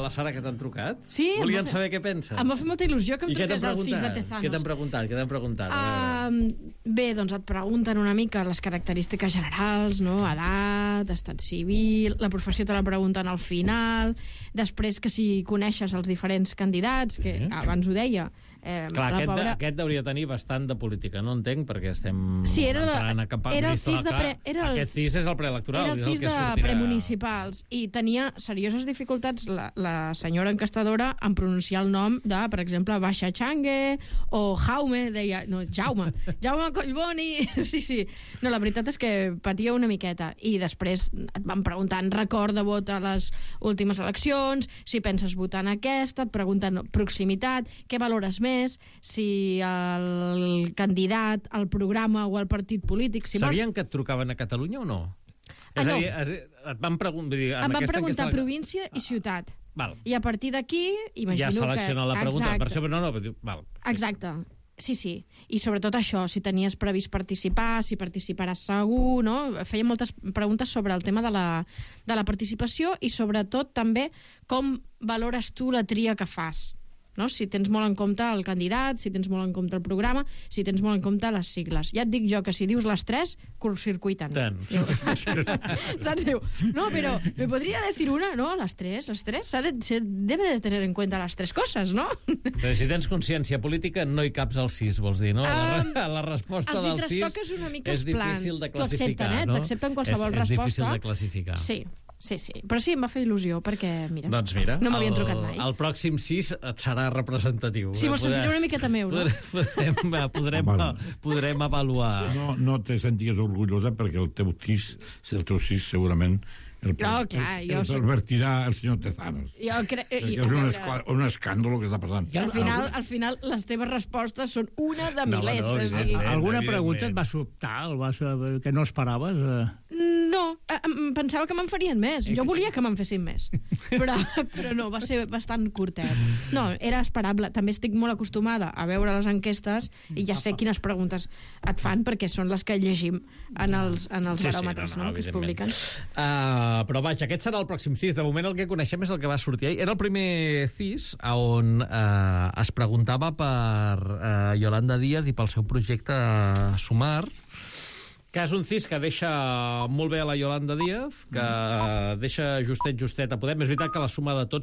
la Sara que t'han trucat. Sí. Volien fer... saber què penses. Em va fer molta il·lusió que em truqués el C I S de Tezanos. Què t'han preguntat? Què t'han preguntat? Uh, bé, doncs et pregunten una mica les característiques generals, no? Edat, estat civil, la professió te la pregunten al final, després que si coneixes els diferents candidats, que sí. Abans ho deia, Eh, Clar, aquest, pobra... aquest hauria de tenir bastant de política. No entenc, perquè estem sí, era la... entrant a campanya. Era el C I S de pre... era el... Aquest C I S és el preelectoral. Era el C I S de sortirà... premunicipals. I tenia serioses dificultats la, la senyora encastadora en pronunciar el nom de, per exemple, Baixa Changue o Jaume, deia... No, Jaume. Jaume Collboni. Sí, sí. No, la veritat és que patia una miqueta. I després et van preguntant record de vot a les últimes eleccions, si penses votar en aquesta, et pregunten proximitat, què valores més, si el candidat, el programa o el partit polític... Si Sabien vols... que et trucaven a Catalunya o no? Ah, és no. a dir, et van, pregun... dir, em van preguntar enquesta... província i ciutat. Val. I a partir d'aquí, imagino que... Ja selecciona la pregunta. Exacte. Per això, no, no, val. Exacte. Sí, sí. I sobretot això, si tenies previst participar, si participaràs segur, no? Feia moltes preguntes sobre el tema de la, de la participació i sobretot també com valores tu la tria que fas. No? Si tens molt en compte el candidat, si tens molt en compte el programa, si tens molt en compte les sigles. Ja et dic jo que si dius les tres, curtcircuiten. Tant. Saps? Diu, no, però me podria decir una, no? Les tres, les tres. Se, de, se debe de tener en cuenta les tres coses, no? Però si tens consciència política, no hi caps al sis, vols dir, no? Um, la, la resposta del sis una mica és els plans. difícil de classificar, eh? no? T'accepten qualsevol és, és resposta. És difícil de classificar. Sí. Sí, sí, però sí, em va fer il·lusió, perquè, mira, doncs mira, no m'havien el, trucat mai. El pròxim sis et serà representatiu. Sí, me'l sentiré una miqueta meu, no? Podrem, podrem, podrem, podrem avaluar. No, no te senties orgullosa perquè el teu sis, el teu sis segurament el, No, clar, el, jo el soc- pervertirà el senyor Tezanos. Jo crec... Perquè és un, escla- un escàndol que està passant. I al final, al final, les teves respostes són una de No, milers. no, o sigui... Alguna pregunta et va sobtar, el vas, que no esperaves? Eh? No, eh, em pensava que me'n farien més. Jo volia que me'n fessin més. Però, però no, va ser bastant curtet. No, era esperable. També estic molt acostumada a veure les enquestes i ja sé quines preguntes et fan perquè són les que llegim en els, en els Sí, sí, baròmetres, no, no, no, que es evidentment. publiquen. Uh, però vaja, aquest serà el pròxim C I S. De moment el que coneixem és el que va sortir ahir. Era el primer C I S on uh, es preguntava per uh, Yolanda Díaz i pel seu projecte Sumar, que és un C I S que deixa molt bé a la Yolanda Díaz, que deixa justet, justet a Podem. És veritat que la suma de tots